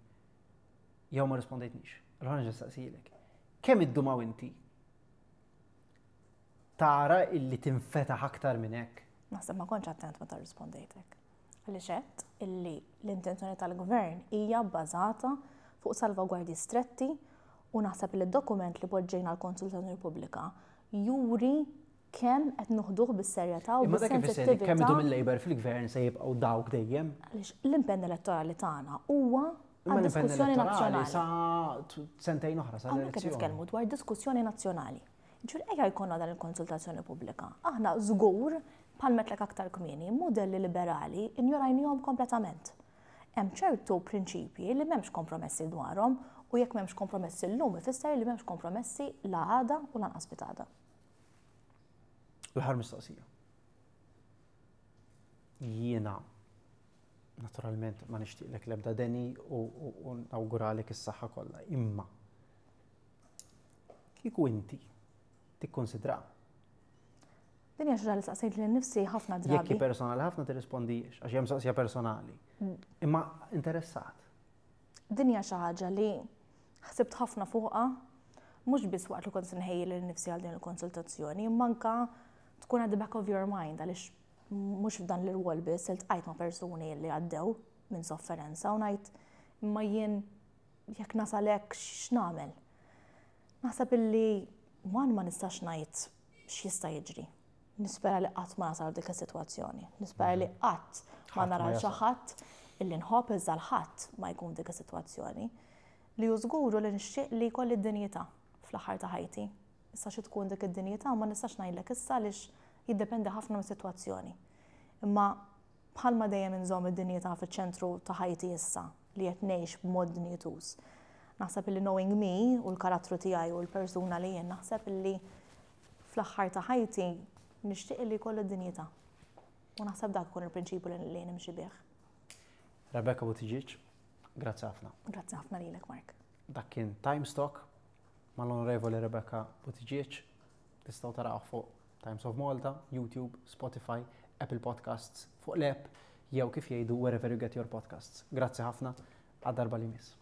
jew ma rispondejtnix. Allura nerġa' saqsilek. Kemm iddum inti tara illi tinfetaħ aktar minn hekk? Naħseb ma kontx attent meta rispondejtek. Għaliex għedt illi l-intenzjoni tal-gvern hija bbażata fuq salvagwardji stretti u naħseb li d-dokument li poġġejna l-konsultazzjoni pubblika juri kemm qed noħduh bis-serjetà u Imma dak ifisser li kemm bis-sensittività. idum il-Labour fil-gvern se jibqgħu dawk dejjem. Għaliex l-impenn elettorali tagħna huwa Imma għal l-impenn diskussjoni elettorali nazzjonali. sa t- sentejn oħra sa Hawnhekk qed l-elezzjoni. nitkellmu dwar diskussjoni nazzjonali. Ġur ejja jkollna dan il-konsultazzjoni pubblika. Aħna żgur, bħal għedtlek aktar kmieni, modelli liberali injorajnihom kompletament. Hemm ċertu prinċipji li m'hemmx kompromessi dwarhom u jekk m'hemmx kompromessi llum ifisser li m'hemmx kompromessi la għada u lanqas pitgħada. L-aħħar mistoqsija. Jiena naturalment ma nixtieqlek l-ebda deni u, u, u nawguralek is-saħħa kollha, imma kieku inti tikkonsidra Din hija xi ħaġa li saqsejt lil nifsi ħafna jekk hi drabi. Personali ħafna tirrispondix għax hemm mistoqsija personali. Imma interessat. Din hija xi ħaġa li ħsibt ħafna fuqha, mhux biss waqt li kont nħejji lil nifsi għal din il-konsultazzjoni, imma anka tkun at the back of your mind, għaliex mhux f'dan l-irwol biss iltqajt ma' persuni li għaddew minn sofferenza u ngħid, imma jien jekk nasal hekk x'nagħmel? Naħseb illi one ma nistax ngħid x'jista' jiġri. Nispera li qatt ma nasal dik is-sitwazzjoni. Nispera li qatt ma Ħadd ma nara xi jasal. ħadd illi nħobb, iżda l-ħadd ma jkun dik is-sitwazzjoni. Li hu żguru li nixtieq li jkolli d-dinjità fl-aħħar ta' ħajti. Issa xi tkun dik id-dinjità ma nistax ngħidlek issa għaliex jiddependi ħafna mis-sitwazzjoni. Imma bħalma dejjem inżomm id-dinjità fiċ-ċentru ta' ħajti issa li qed ngħix b'mod dinjituż. Naħseb illi, knowing me u l-karattru tiegħi u l-persuna li jien, naħseb illi fl-aħħar ta' ħajti nixtieq li jkolli d-dinjità. U naħseb dak ikun il-prinċipju li li nimxi bih. Rebecca Buttigieg, grazzi ħafna. Grazzi ħafna lilek, Mark. Dak kien Times Talk mal-Onorevoli Rebecca Buttigieg. Tistgħu taraw fuq Times of Malta, YouTube, Spotify, Apple Podcasts, fuq l-app jew kif jgħidu wherever you get your podcasts. Grazzi ħafna, għad darba li miss.